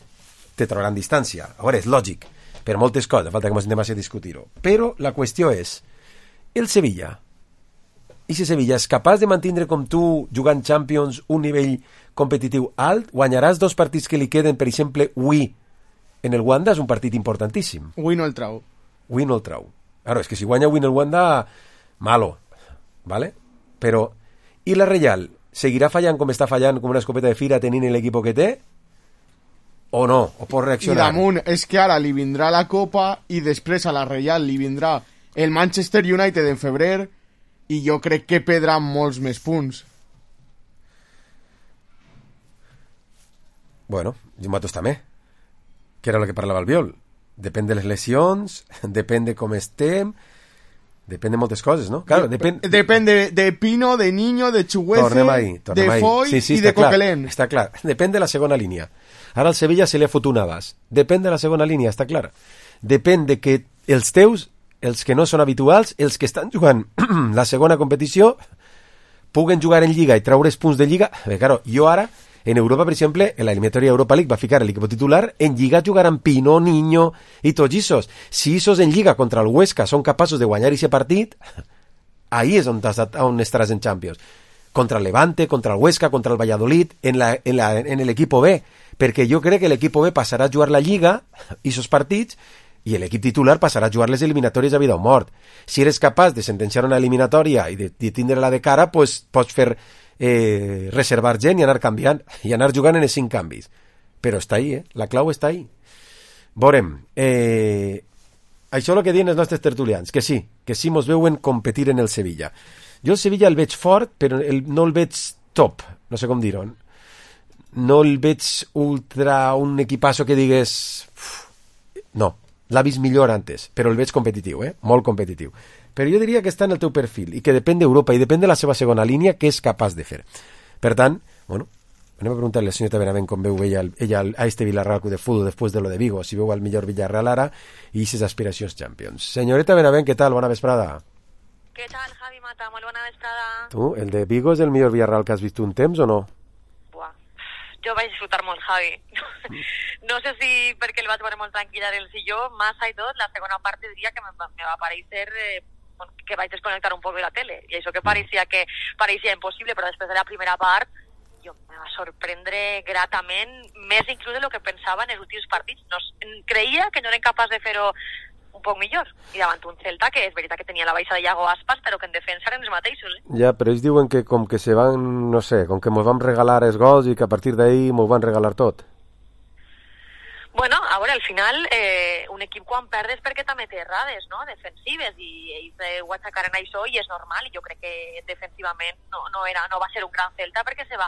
te trauran distància. A veure, és lògic, per moltes coses, falta que ens anem a discutir-ho. Però la qüestió és, el Sevilla, i si Sevilla és capaç de mantenir com tu, jugant Champions, un nivell competitiu alt, guanyaràs 2 partits que li queden, per exemple, avui, en el Wanda, és un partit importantíssim. Avui no el trau. Avui no el trau. Ara, és que si guanya avui en el Wanda, malo, ¿vale? Però, i la Real seguirà fallant com està fallant, com una escopeta de fira, tenint l'equip que té? O no? O pot reaccionar? I damunt, és que ara li vindrà la Copa i després a la Real li vindrà el Manchester United en febrer i jo crec que perdrà molts més punts. Bueno, Matos també, que era el que parlava el Biol. Depèn de les lesions, depèn de com estem, depèn de moltes coses, no? Claro, depèn de Pino, de Niño, de Chuguece, de Foy i de Coquelin. Està clar, depèn de la segona línia. Ara al Sevilla se li ha fotut una base. Depèn de la segona línia, està clar. Depèn de que els teus, els que no són habituals, els que estan jugant la segona competició, puguen jugar en Lliga i traure's punts de Lliga. Claro, jo ara... En Europa, per exemple, en la eliminatòria Europa League va ficar l'equip titular, en Lliga jugaran Pino, Niño i tots isos. Si isos en Lliga contra el Huesca són capaços de guanyar aquest partit, ahí és on estaràs en Champions. contra el Levante, contra el Huesca, contra el Valladolid, en l'equip B, perquè jo crec que l'equip B passarà a jugar la Lliga i esos partits i l'equip titular passarà a jugar les eliminatòries a vida o mort. Si eres capaç de sentenciar una eliminatòria i de tindre-la de cara, pues, pots fer reservar gent i anar canviant i anar jugant en els 5 canvis. Però està ahí, la clau està ahí. Veurem. Això és el que diuen els nostres tertulians, que sí mos veuen competir en el Sevilla. Jo el Sevilla el veig fort, però no el veig top, no sé com dir-ho. No el veig ultra un equipazo que digues... No, l'ha vist millor antes, però el veig competitiu, molt competitiu. Però jo diria que està en el teu perfil i que depèn d'Europa i depèn de la seva segona línia que és capaç de fer. Per tant, bueno, anem a preguntar-li a la senyora Benavent com veu ella a este Villarreal Club de Fútbol després de lo de Vigo, si veu el millor Villarreal ara i ses aspiracions Champions. Senyoreta Benavent, què tal? Bona vesprada. Què tal, Javi Mata? Molt bona vesprada. Tu, el de Vigo és el millor Villarreal que has vist un temps o no? Buah, jo vaig disfrutar molt, Javi. No sé si perquè el vaig veure molt tranquil·la del silló, massa i tot, la segona part diria que me va parecer... que vaig desconnectar un poc de la tele, i això que pareixia impossible, però després de la primera part jo me va sorprendre gratament, més inclús de lo que pensava en els últims partits. Creia que no eren capaç de fer-ho un poc millor, i davant un Celta que és veritat que tenia la baixa de Iago Aspas, però que en defensa eren els mateixos. Ja, però ells diuen que com que se van, no sé, com que mos van regalar els gols i que a partir d'ahí mos van regalar tot. Bueno, a veure, al final, un equip quan perd és perquè també té errades, no?, defensives, i ells ho aixecaren això i és normal, i jo crec que defensivament no va ser un gran Celta perquè se va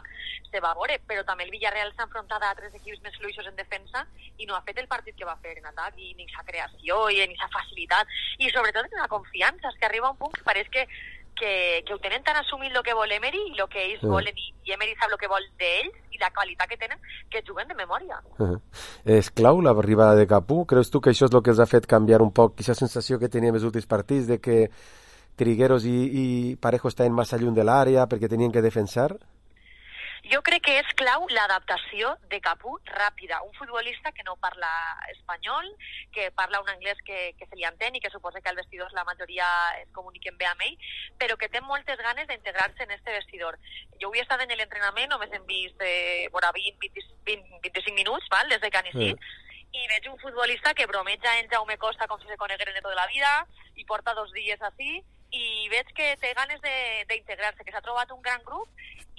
veure, però també el Villarreal s'ha enfrontat a altres equips més fluixos en defensa i no ha fet el partit que va fer en atac, i ni sa creació, i ni sa facilitat, i sobretot en la confiança, és que arriba un punt que pareix que ho tenen tan assumit el que vol Emery i el que ells volen, i Emery sap el que vol d'ells i la qualitat que tenen, que juguen de memòria. És clau l'arribada de Capú? Creus tu que això és el que els ha fet canviar un poc aquesta sensació que teníem els últims partits de que Trigueros i Parejo estaven massa lluny de l'àrea perquè tenien que defensar? Jo crec que és clau l'adaptació de Capú ràpida. Un futbolista que no parla espanyol, que parla un anglès que se li entén i que suposa que al vestidor la majoria es comuniquen bé amb ell, però que té moltes ganes d'integrar-se en este vestidor. Jo avui he estat en l'entrenament, només hem vist 20-25 minuts, val, des de que han iniciat, i veig un futbolista que bromeja en Jaume Costa com si se conegueren de tota la vida, i porta 2 dies així, i veig que té ganes d'integrar-se, que s'ha trobat un gran grup,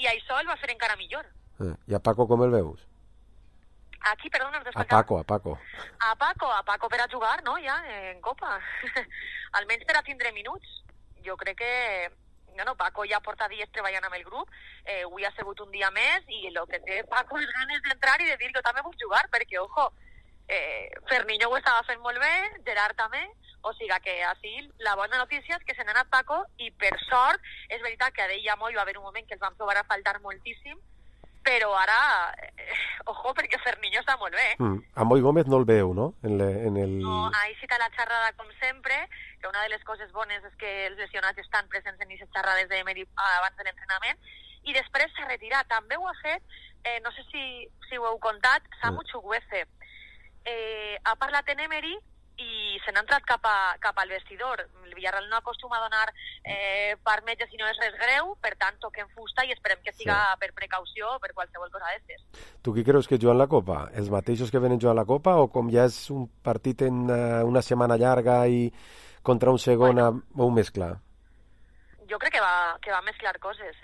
i això el va fer encara millor. I a Paco com el veus? Aquí, perdona, a Paco. A Paco per a jugar, no?, ja, en Copa. Almenys per a tindre minuts. Jo crec que... No, Paco ja porta dies treballant amb el grup, avui ha sigut un dia més, i el que té Paco és ganes d'entrar i de dir que jo també vull jugar, perquè, ojo, Ferniño ho estava fent molt bé, Gerard també, o sigui que així la bona notícia és que se n'ha anat Paco, i per sort és veritat que a ell i a Moll va haver un moment que els van trobar a faltar moltíssim, però ara, ojo, perquè Ferniño està molt bé. A Moll Gómez no el veu, no? No, ahí sí està la xerrada com sempre, que una de les coses bones és que els lesionats estan presents en aquestes xerrades d'Emery abans de l'entrenament, i després s'ha retirat. També ho ha fet, no sé si ho heu contat, Samu Chukwueze. Ha parlat en Emery i se n'ha entrat cap al vestidor. El Villarreal no acostuma a donar per metge si no és res greu, per tant toquem fusta i esperem que siga per precaució o per qualsevol cosa d'estes. Tu qui creus que juguen la Copa? Els mateixos que venen jugant la Copa, o com ja és un partit en una setmana llarga i contra un segon o un mesclar? Jo crec que va mesclar coses,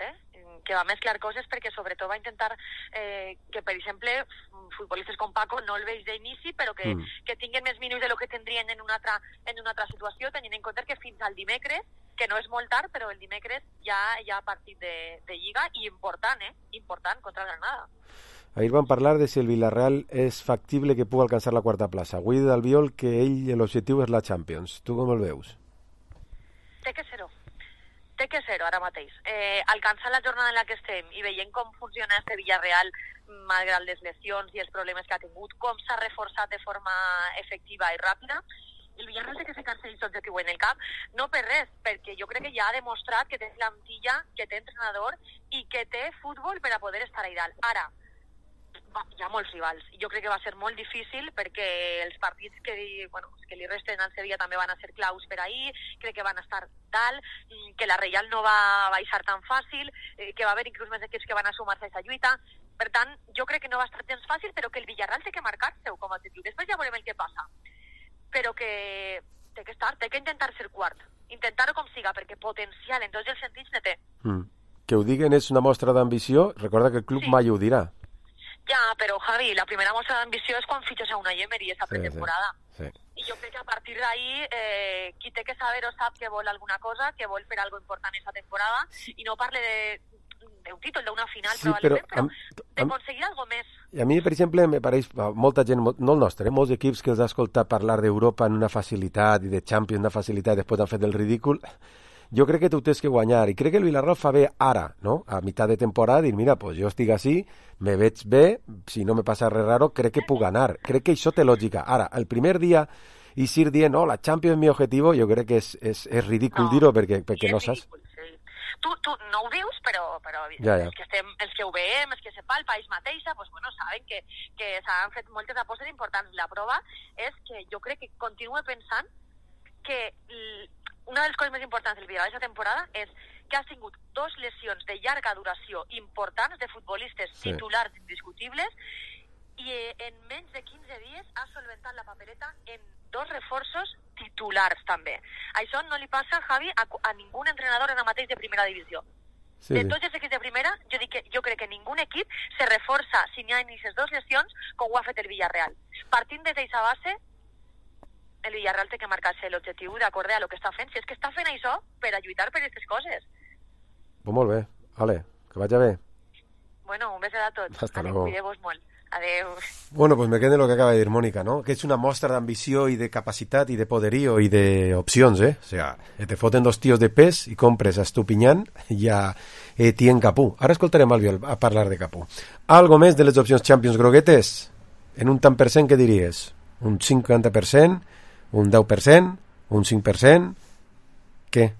que va mesclar coses perquè sobretot va intentar que, per exemple, futbolistes com Paco no el veig d'inici, però que tinguen més minuts de lo que tindrien en una altra situació, tenint en compte que fins al dimecres, que no és molt tard, però el dimecres ja hi ha partit de Lliga, i important contra el Granada. Ahir vam parlar de si el Villarreal és factible que pugui alcançar la quarta plaça. Avui d'Albiol que l'objectiu és la Champions. Tu com el veus? Té que ser-ho ara mateix. Alcançant la jornada en la que estem i veient com funciona este Villarreal malgrat les lesions i els problemes que ha tingut, com s'ha reforçat de forma efectiva i ràpida, el Villarreal té que ficar-se aquest objectiu en el camp, no per res, perquè jo crec que ja ha demostrat que té plantilla, que té entrenador i que té futbol per a poder estar a dalt. Ara, hi ha molts rivals. Jo crec que va ser molt difícil perquè els partits que li resten al Sevilla també van a ser claus per ahir, crec que van estar dalt, que la Reial no va baixar tan fàcil, que va haver inclús més equips que van a sumar-se a aquesta lluita. Per tant, jo crec que no va estar gens fàcil, però que el Villarreal té que marcar-se com a objectiu. Després ja veurem el que passa. Però que té que intentar ser quart. Intentar-ho com siga, perquè potencial en tots els sentits ne té. Que ho diguen és una mostra d'ambició, recorda que el club mai ho dirà. Ja, però Javi, la primera mostra d'ambició és quan fitxes a Unai Emery esta pretemporada. Sí. I jo crec que a partir d'ahí qui té que saber o sap que vol alguna cosa, que vol fer algo important esta temporada, i no parle d'un títol, d'una final probablement, però d'aconseguir algo més. I a mi, per exemple, me pareix molta gent, no el nostre, molts equips que els ha escoltat parlar d'Europa en una facilitat i de Champions una facilitat, després han fet el ridícul. Jo crec que tu tens que guanyar, i crec que el Villarreal fa bé ara, no? A meitat de temporada, dir, mira, pues jo estic així, me veig bé, si no me passa res raro, crec que puc anar. Crec que això té lògica. Ara, el primer dia, i ir dient, no, la Champions és mi objectiu, jo crec que és ridícul dir-ho, perquè no saps. Tu no ho dius, però ja. Els que ho veiem, els que se palpa ells mateixa, pues, saben que s'han fet moltes apostes importants. La prova és que jo crec que continuo pensant que una de les coses més importants del Villarreal aquesta temporada és que ha tingut 2 lesions de llarga duració importants de futbolistes titulars indiscutibles i en menys de 15 dies ha solventat la papereta en 2 reforços titulars també. Això no li passa, Javi, a ningú entrenador en el mateix de primera divisió. De tots els equips de primera, jo crec que ningú equip se reforça si n'hi ha aquestes 2 lesions com ho ha fet el Villarreal. Partint des d'aquesta base, el Villarreal té que marcar-se l'objectiu d'acord a lo que està fent. Si és que està fent això per a lluitar per aquestes coses. Pues molt bé. Ale, que vagi bé. Bueno, un beso a tots. Hasta luego. Cuideu-vos molt. Adeu. Bueno, pues me quedo en lo que acaba de decir Mónica, ¿no? Que es una muestra de ambició y de capacitat y de poderío y de opcions, O sea, te foten 2 tios de pes y compres a Estupiñán i a Etienne Capú. Ara escoltarem Albiol a parlar de Capú. Algo més de les opcions Champions groguetes? En un tant per cent, què diries? Un 50%? Un 10%? Un 5%? Què?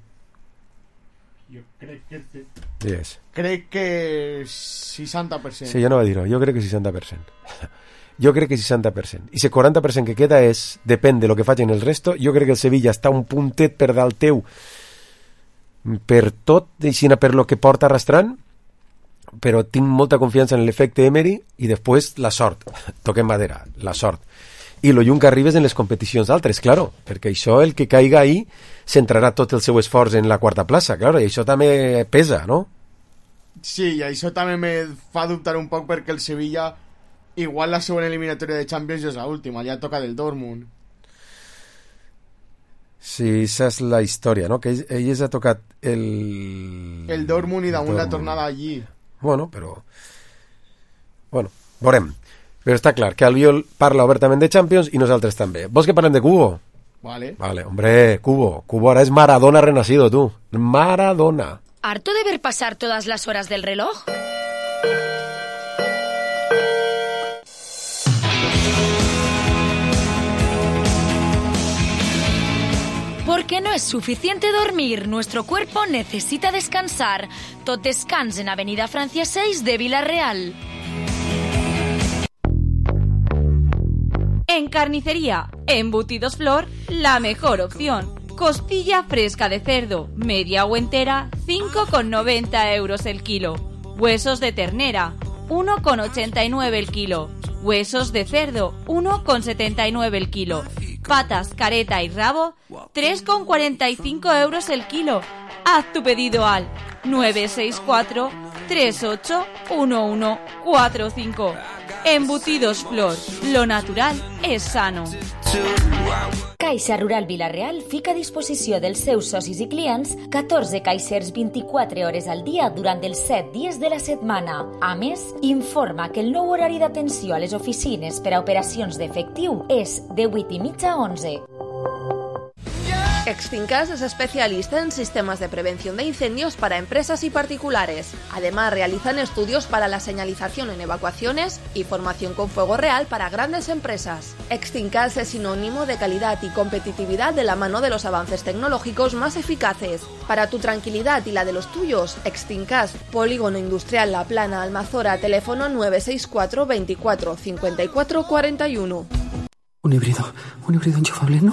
Jo crec que... Digues. Crec que 60%. Sí, jo no va dir-ho. Jo crec que 60%. Jo crec que 60%. I ese 40% que queda depèn de lo que facin el resto. Jo crec que el Sevilla està un puntet per dalt teu per tot, i per lo que porta arrastrant, però tinc molta confiança en l'efecte Emery i després la sort. Toquem madera, la sort. I lo lluny que arribes en les competicions altres, claro, perquè això, el que caiga ahí, centrarà tot el seu esforç en la 4ª plaça, claro, i això també pesa, no? Sí, i això també me fa dubtar un poc perquè el Sevilla, igual la següent eliminatòria de Champions és l'última, ja toca del Dortmund. Sí, esa és la història, no? Que ells ha tocat el Dortmund i damunt la tornada allí. Bueno, veurem. Però està clar que Albiol parla obertament de Champions i nosaltres també. Vols que parlem de Cubo? Vale, hombre, Cubo ahora es Maradona renacido, tú. Maradona. ¿Harto de ver pasar todas las horas del reloj? Porque no es suficiente dormir, nuestro cuerpo necesita descansar. Tot descans en Avenida Francia 6 de Villarreal. En carnicería, Embutidos Flor, la mejor opción. Costilla fresca de cerdo, media o entera, 5,90 euros el kilo. Huesos de ternera, 1,89 el kilo. Huesos de cerdo, 1,79 el kilo. Patas, careta y rabo, 3,45 euros el kilo. Haz tu pedido al 964 381145. Embutidos Flor, lo natural és sano. Caixa Rural Vila-real fica a disposició dels seus socis i clients 14 caixers 24 hores al dia durant els 7 dies de la setmana. A més, informa que el nou horari d'atenció a les oficines per a operacions d'efectiu és de 8:30 a 11. Extincas es especialista en sistemas de prevención de incendios para empresas y particulares. Además, realizan estudios para la señalización en evacuaciones y formación con fuego real para grandes empresas. Extincas es sinónimo de calidad y competitividad de la mano de los avances tecnológicos más eficaces. Para tu tranquilidad y la de los tuyos, Extincas, Polígono Industrial La Plana, Almazora, teléfono 964 24 54 41. Un híbrido enchufable, no,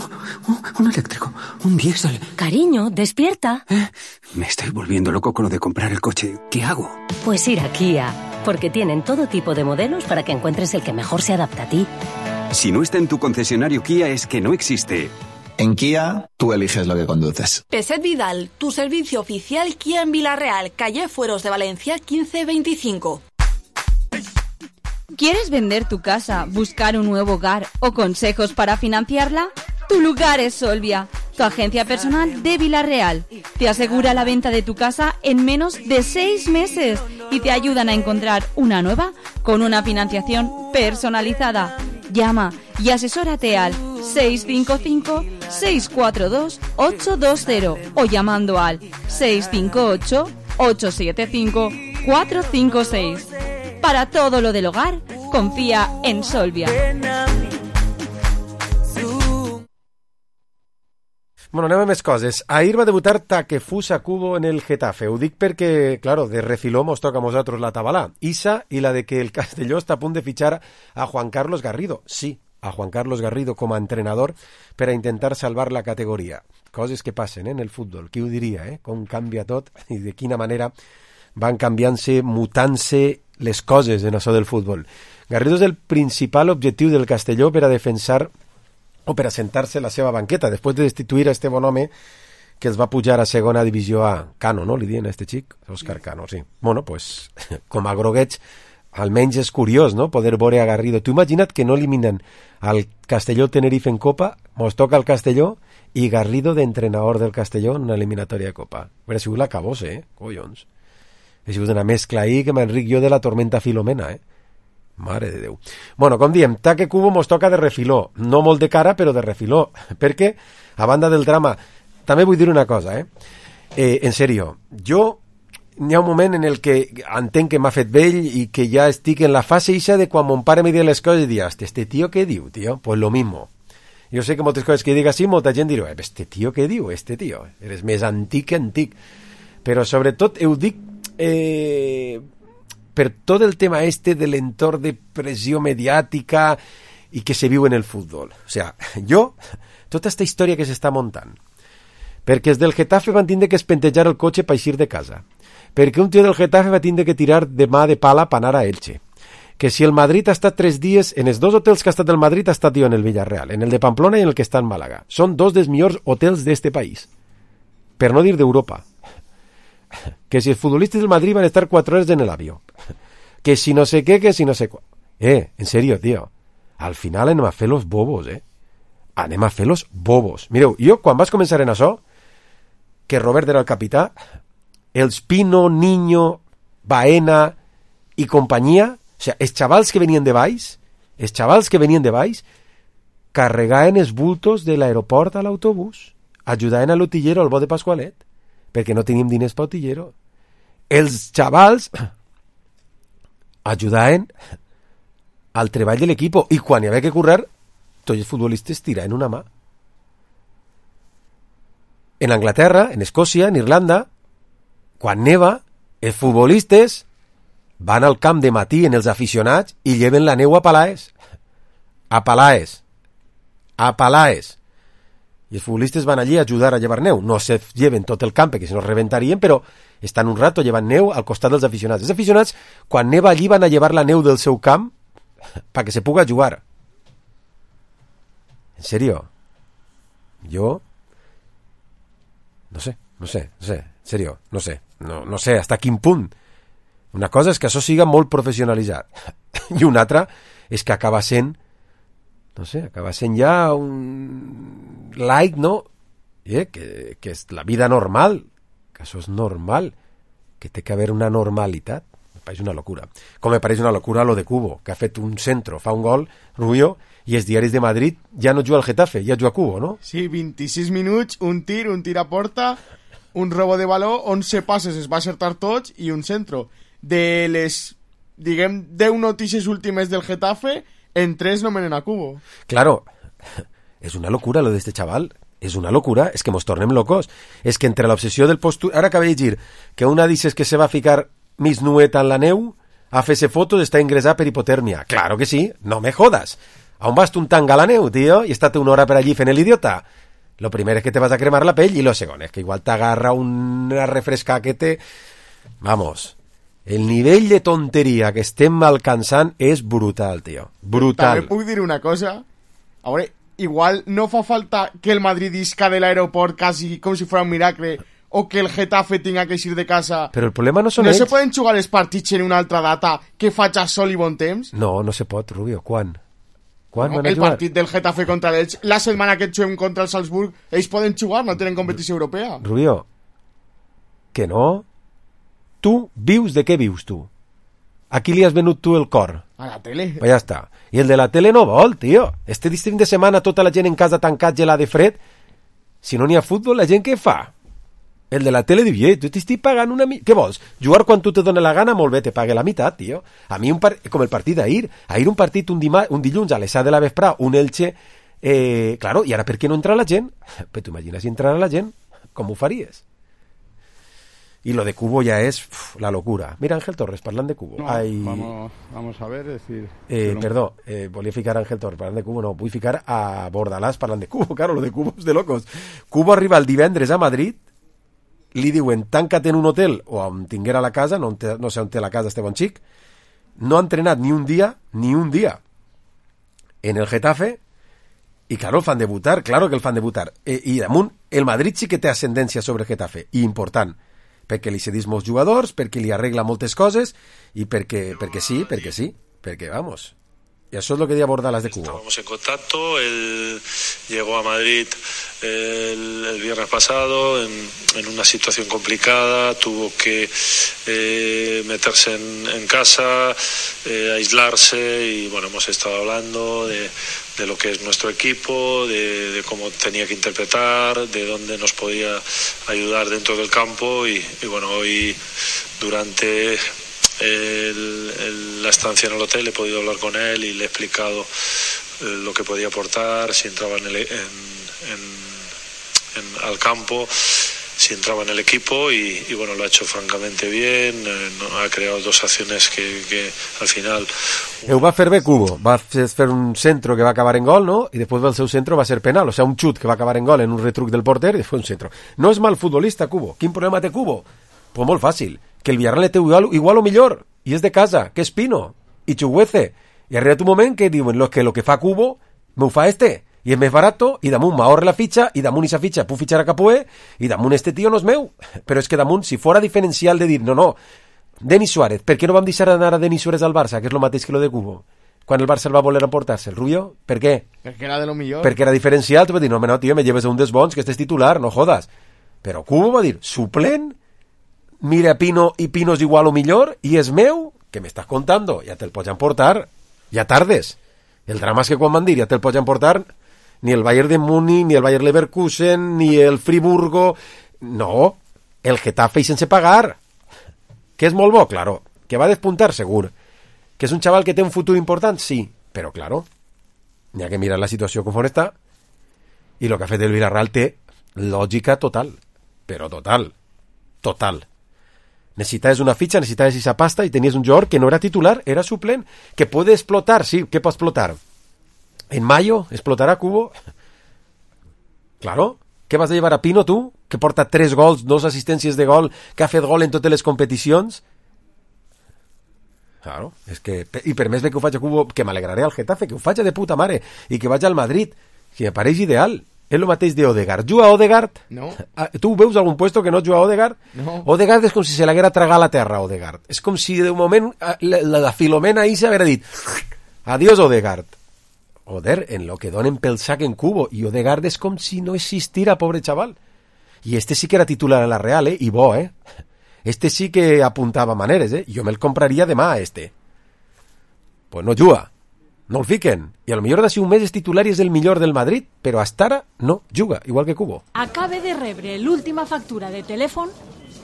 un eléctrico, un diésel. Cariño, despierta. Me estoy volviendo loco con lo de comprar el coche. ¿Qué hago? Pues ir a Kia, porque tienen todo tipo de modelos para que encuentres el que mejor se adapta a ti. Si no está en tu concesionario Kia es que no existe. En Kia, tú eliges lo que conduces. Peset Vidal, tu servicio oficial Kia en Villarreal, calle Fueros de Valencia 1525. ¿Quieres vender tu casa, buscar un nuevo hogar o consejos para financiarla? Tu lugar es Solvia, tu agencia personal de Villarreal. Te asegura la venta de tu casa en menos de 6 meses y te ayudan a encontrar una nueva con una financiación personalizada. Llama y asesórate al 655-642-820 o llamando al 658-875-456. Para todo lo del hogar, confía en Solvia. Bueno, anem a més coses. Ahir va debutar Takefusa Kubo en el Getafe. Ho dic perquè, claro, de refiló mos toca a nosaltres la tabalà. Issa i la de que el Castelló està a punt de fitxar a Juan Carlos Garrido. Sí, a Juan Carlos Garrido com a entrenador per a intentar salvar la categoria. Coses que passen en el futbol. Qui ho diria, com canvia tot i de quina manera van canviant-se, mutant-se les coses en això del futbol. Garrido és el principal objectiu del Castelló per a defensar o per a sentar-se la seva banqueta, després de destituir a este bon home que els va pujar a segona divisió A. Cano, no? Li diuen a este xic? Òscar Cano, sí. Bueno, pues, com a groguets, almenys és curiós, no?, poder veure a Garrido. Tu imagina't que no eliminen al Castelló Tenerife en Copa, mos toca el Castelló i Garrido d'entrenador del Castelló en una eliminatòria de Copa. Hauria sigut la cabose, collons. Ha sigut una mescla ahí que m'enric jo de la tormenta Filomena, Mare de Déu. Bueno, com diem, Take Kubo mos toca de refiló. No molt de cara, però de refiló. Perquè, a banda del drama, també vull dir una cosa, en sèrio, jo n'hi ha un moment en el que entenc que m'ha fet vell i que ja estic en la fase ixa de quan mon pare me diu les coses i diu, este tío què diu, tío? Pues lo mismo. Jo sé que moltes coses que dic així, molta gent dirà, este tío què diu, este tío? Eres més antic que antic. Però sobretot ho dic per tot el tema de l'entorn de pressió mediàtica i que se viu en el futbol. O sea, tota aquesta història que s'està muntant, perquè els del Getafe van tindre que espentejar el cotxe per eixir de casa, perquè un tio del Getafe va tindre que tirar de mà de pala per anar a Elche, que si el Madrid ha estat 3 dies, en els 2 hotels que ha estat el Madrid ha estat jo en el Villarreal, en el de Pamplona i en el que està en Màlaga. Són 2 dels millors hotels d'este país, per no dir d'Europa. Que si els futbolistes del Madrid van estar 4 hores en el avió, que si no sé què, que si no sé què. En serio, tío, al final anem a fer los bobos, anem a fer los bobos. Mireu, jo quan vas començar en això, que Robert era el capità, els Pino, Niño, Baena i companyia, o sea, els xavals que venien de baix, carregaven els bultos de l'aeroport a l'autobús, ajudaven a l'utillero al bo de Pasqualet, perquè no teníem diners per utillero. Els xavals ajudaven al treball de l'equip i quan hi havia que currar, tots els futbolistes tiraven una mà. En Anglaterra, en Escòcia, en Irlanda, quan neva, els futbolistes van al camp de matí en els aficionats i lleven la neu a Palaes. A Palaes. I els futbolistes van allí a ajudar a llevar neu. No se lleven tot el camp, perquè si no rebentarien, però estan un rato llevant neu al costat dels aficionats. Els aficionats, quan neva allí, van a llevar la neu del seu camp perquè se puga jugar. En serio. Jo no sé, en serio, no sé hasta quin punt. Una cosa és que això siga molt professionalitzat i una altra és que acaba sent ja un like, no? Que és la vida normal, que això és normal, que té que haver una normalitat. pareix una locura. Com me pareix una locura lo de Cubo, que ha fet un centro, fa un gol, Rubio, i els diaris de Madrid ja no juga al Getafe, ja juga a Cubo, no? Sí, 26 minuts, un tir a porta, un robo de baló, 11 passes es va acertar tots i un centro. De les, diguem, 10 notícies últimes del Getafe, en 3 nomenen a Cubo. Claro, és una locura lo de este chaval. És una locura, és que mos tornem locos. És que entre l'obsessió del post... Ara acabé de llegir que una dices que se va a ficar mis nueta en la neu, a fer-se fotos, està ingressat per hipotèrmia. Claro que sí, no me jodas. A on vas tu un tanga a la neu, tío, i estate una hora per allí fent l'idiota? Lo primer és que te vas a cremar la pell, i lo segon és que igual t'agarra una refresca que te... Vamos, el nivell de tonteria que estem alcançant és brutal, tío. Brutal. També puc dir una cosa. A veure, igual no fa falta que el Madrid isca de l'aeroport casi com si fuera un miracle o que el Getafe tenga que ir de casa. Però el problema no són ells. No se poden jugar els partits en una altra data que faci sol i bon temps? No, no se pot, Rubio. Quan? Quan no, van a el jugar? partit del Getafe contra l'Elx, la setmana que juguem contra el Salzburg, ells poden jugar, no tenen competició europea. Rubio, que no? Tu vius de què vius, tu? A qui li has venut tu el cor? A la tele. Pues ja està. I el de la tele no vol, tio. Este fin de setmana tota la gent en casa tancat gelada de fred. Si no n'hi ha futbol, la gent què fa? El de la tele diu, tu t'estic pagant una... Què vols? Jugar quan tu te dona la gana? Molt bé, te pague la meitat, tio. A mi, com el partit d'ahir. Ahir un partit un dilluns a les 7 de la vesprà, un Elche... Claro, i ara per què no entra la gent? Però tu imagines si entrara la gent? Com ho faries? Y lo de Cubo ya es la locura. Mira, Ángel Torres, parlant de Cubo. No, Ay... vamos a ver, decir... Perdó, volia ficar a Ángel Torres parlant de Cubo, no, vull ficar a Bordalás parlant de Cubo, claro, lo de Cubo és de locos. Cubo arriba el divendres a Madrid, li diuen, tanca't en un hotel, o on tinguera la casa, no sé on té la casa este bon xic, no ha entrenat ni un dia, en el Getafe, i claro, el fan debutar, claro que el fan debutar. I damunt, el Madrid sí que té ascendència sobre el Getafe, i important, perquè li cedís molts jugadors, perquè li arregla moltes coses i perquè sí, perquè vamos. Y eso es lo que decía Bordalas de Cubo. Estábamos en contacto, él llegó a Madrid el viernes pasado en una situación complicada, tuvo que meterse en casa, aislarse y bueno, hemos estado hablando de lo que es nuestro equipo, de cómo tenía que interpretar, de dónde nos podía ayudar dentro del campo y bueno, hoy durante la estancia en el hotel he podido hablar con él y le he explicado lo que podía aportar, si entraba al campo, si entraba en el equipo y bueno, lo ha hecho francamente bien, ha creado dos acciones que al final... Ho va fer bé Cubo, va fer un centro que va acabar en gol, ¿no? Y después del seu centro va ser penal, o sea, un xut que va acabar en gol en un retruc del porter y después un centro. No és mal futbolista Cubo, quin problema té Cubo? Pues molt fàcil, que el Villarreal té igual o millor, i és de casa, que és Pino, i Chuguece, i arriba un moment que diuen lo que fa Cubo, me ho fa este, i és més barato, i damunt m'ahorre la fitxa, i damunt esa fitxa puc fitxar a Capoe, i damunt este tio no és meu, però és que damunt, si fora diferencial de dir, no, Denis Suárez, per què no vam deixar anar a Denis Suárez al Barça, que és lo mateix que lo de Cubo? Quan el Barça el va voler emportar-se, el Rubio, per què? Perquè era de lo millor. Perquè era diferencial, tu vas dir, no, tio, me lleves a un dels bons, que este és titular, no jodas. Però Cubo va dir, suplent, mira a Pino y Pino es igual o millor y es meu, que me estás contando, ya te el pots emportar, ya tardes. El drama es que quan van dir ja te el pots emportar, ni el Bayern de Múnich, ni el Bayer Leverkusen, ni el Friburgo, no, el Getafe y sense pagar, que és molt bo, claro, que va a despuntar segur, que és un chaval que té un futur important, sí, però claro, n'hi ha que mirar la situació com està, i el que ha fet el Villarreal té lògica total, però total. Necesitabas una ficha, necesitabas esa pasta y tenías un jugador que no era titular, era suplente, que puede explotar, sí, ¿qué puede explotar? ¿En mayo explotará Cubo? Claro, ¿qué vas a llevar a Pino tú? Que porta 3 gols, 2 assistències de gol, que ha fet gol en totes les competicions? Claro, és que... I per més bé que ho faig a Cubo, que m'alegraré al Getafe, que ho faig de puta mare, i que vaig al Madrid, que me pareix ideal. És el mateix de Odegaard. Juga Odegaard? No. Tu veus algun puesto que no juga Odegaard? No. Odegaard és com si se l'haguera tragat la terra, Odegaard. És com si de un moment la Filomena ahí s'haguera dit adiós Odegaard. Joder, en lo que donen pel sac en Cubo. I Odegaard és com si no existira, pobre chaval. I este sí que era titular a la Real, I bo, Este sí que apuntava maneres, Jo me'l compraria demà, este. Pues no juga. No el fiquen. I a lo millor d'ací un mes és titular i és el millor del Madrid, però hasta ara no juga, igual que Cubo. Acabe de rebre l'última factura de telèfon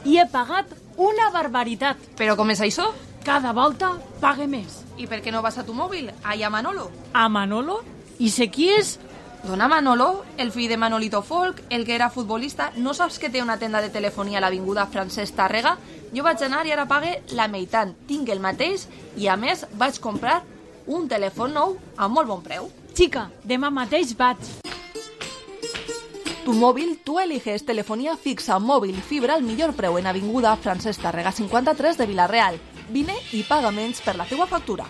i he pagat una barbaritat. Però com és això? Cada volta pague més. I per què no vas a tu mòbil? Allà a Manolo. A Manolo? I sé qui és? Dona Manolo, el fill de Manolito Folk, el que era futbolista. No saps que té una tenda de telefonia a l'avinguda Francesc Tàrrega? Jo vaig anar i ara pague la meitat. Tinc el mateix i, a més, vaig comprar un telèfon nou a molt bon preu. Xica, demà mateix vaig. Tu mòbil, tu eliges telefonia fixa, mòbil i fibra al millor preu en avinguda Francesc Tàrrega 53 de Vila-real. Vine y paga menys per la teua factura.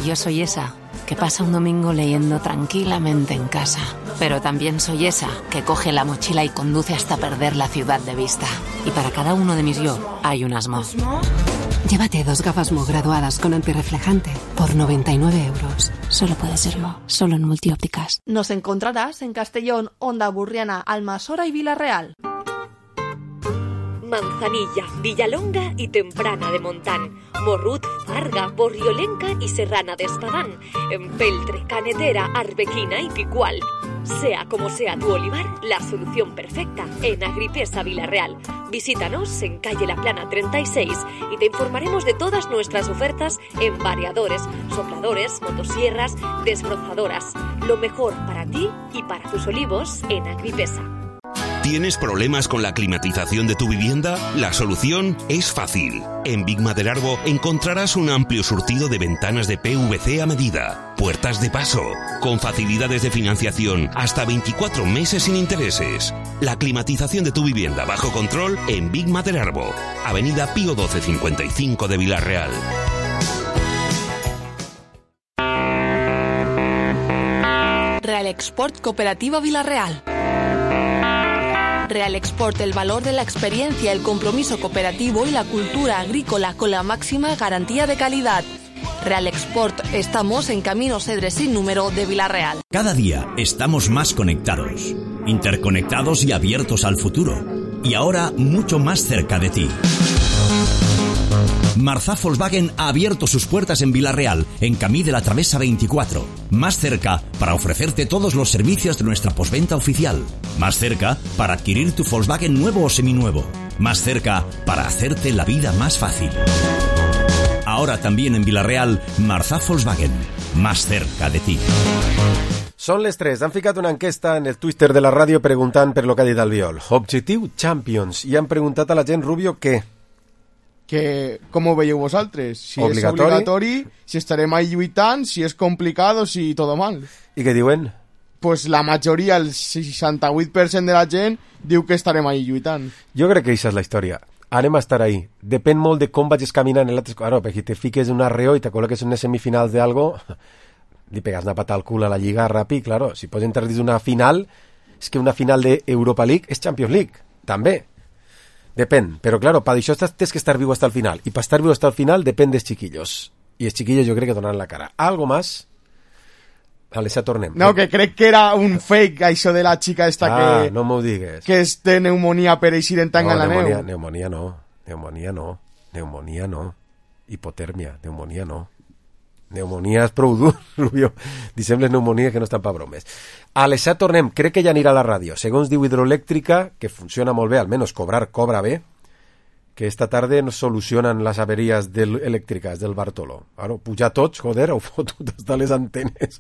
Yo soy esa que pasa un domingo leyendo tranquilamente en casa. Pero también soy esa que coge la mochila y conduce hasta perder la ciudad de vista. Y para cada uno de mis yo hay un Asmo. Llévate 2 gafas Mo graduadas con antirreflejante por 99 euros. Solo puede ser Mo, solo en Multiópticas. Nos encontrarás en Castellón, Onda Burriana, Almasora y Vila-real. Manzanilla, Villalonga y Temprana de Montán, Morrut, Farga, Borriolenca y Serrana de Espadán, Empeltre, Canetera, Arbequina y Picual. Sea como sea tu olivar, la solución perfecta en Agripesa Vila-real. Visítanos en calle La Plana 36 y te informaremos de todas nuestras ofertas en variadores, sopladores, motosierras, desbrozadoras. Lo mejor para ti y para tus olivos en Agripesa. ¿Tienes problemas con la climatización de tu vivienda? La solución es fácil. En Big Maderarbo encontrarás un amplio surtido de ventanas de PVC a medida, puertas de paso, con facilidades de financiación hasta 24 meses sin intereses. La climatización de tu vivienda bajo control en Big Maderarbo, Avenida Pío 1255 de Vila-real. Real Export Cooperativa Vila-real. Real Export, el valor de la experiencia, el compromiso cooperativo y la cultura agrícola con la máxima garantía de calidad. Real Export, estamos en Camino Cedre sin número de Vila-real. Cada día estamos más conectados, interconectados y abiertos al futuro. Y ahora mucho más cerca de ti. Marzá Volkswagen ha abierto sus puertas en Vila-real, en Camí de la Travesa 24. Más cerca para ofrecerte todos los servicios de nuestra postventa oficial. Más cerca para adquirir tu Volkswagen nuevo o seminuevo. Más cerca para hacerte la vida más fácil. Ahora también en Vila-real, Marzá Volkswagen. Más cerca de ti. Són les 3. Han ficat una enquesta en el Twitter de la ràdio preguntant per lo que ha dit Albiol. Objectiu Champions. I han preguntat a la gent Rubio què? Que com ho veieu vosaltres? Si és obligatori, si estarem ahí lluitant, si és complicat o si tot mal. I què diuen? Pues la majoria, el 68% de la gent, diu que estarem ahí lluitant. Jo crec que això és la història. Anem a estar ahí. Depèn molt de com vagis caminant en l'altre... Claro, perquè te fiques en un arreo i te col·loques en les semifinals d'algo, li pegas una pata al cul a la lliga ràpid, claro. Si pots entrar dins d'una final, és que una final d'Europa League és Champions League, també. Depèn, però claro, per això tens que estar viu hasta el final. I per estar viu hasta el final depèn dels chiquillos. I els chiquillos jo crec que donaran la cara. Algo más? Vale, ja tornem. No, que crec que era un fake, això de la xica esta que... no m'ho digues. Que és de pneumonia per eixir en tanga en la neu. Pneumonia no. Hipotèrmia, pneumonia no. Pneumonia és prou dur, Rubio. Dissem les pneumonies que no estan per bromes. A les 7 tornem, crec que ja anirà a la ràdio. Segons diu Hidroelèctrica, que funciona molt bé, almenys cobra bé, que esta tarda nos solucionen les averies elèctriques del Bartolo. Bueno, pujar tots, joder, heu fotut hasta les antenes.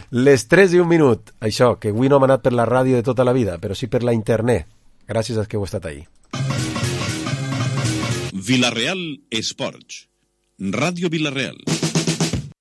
Les 3 i 1 minut. Això, que avui no hem anat per la ràdio de tota la vida, però sí per la internet. Gràcies a que heu estat ahí. Vila-real Esports. Ràdio Vila-real.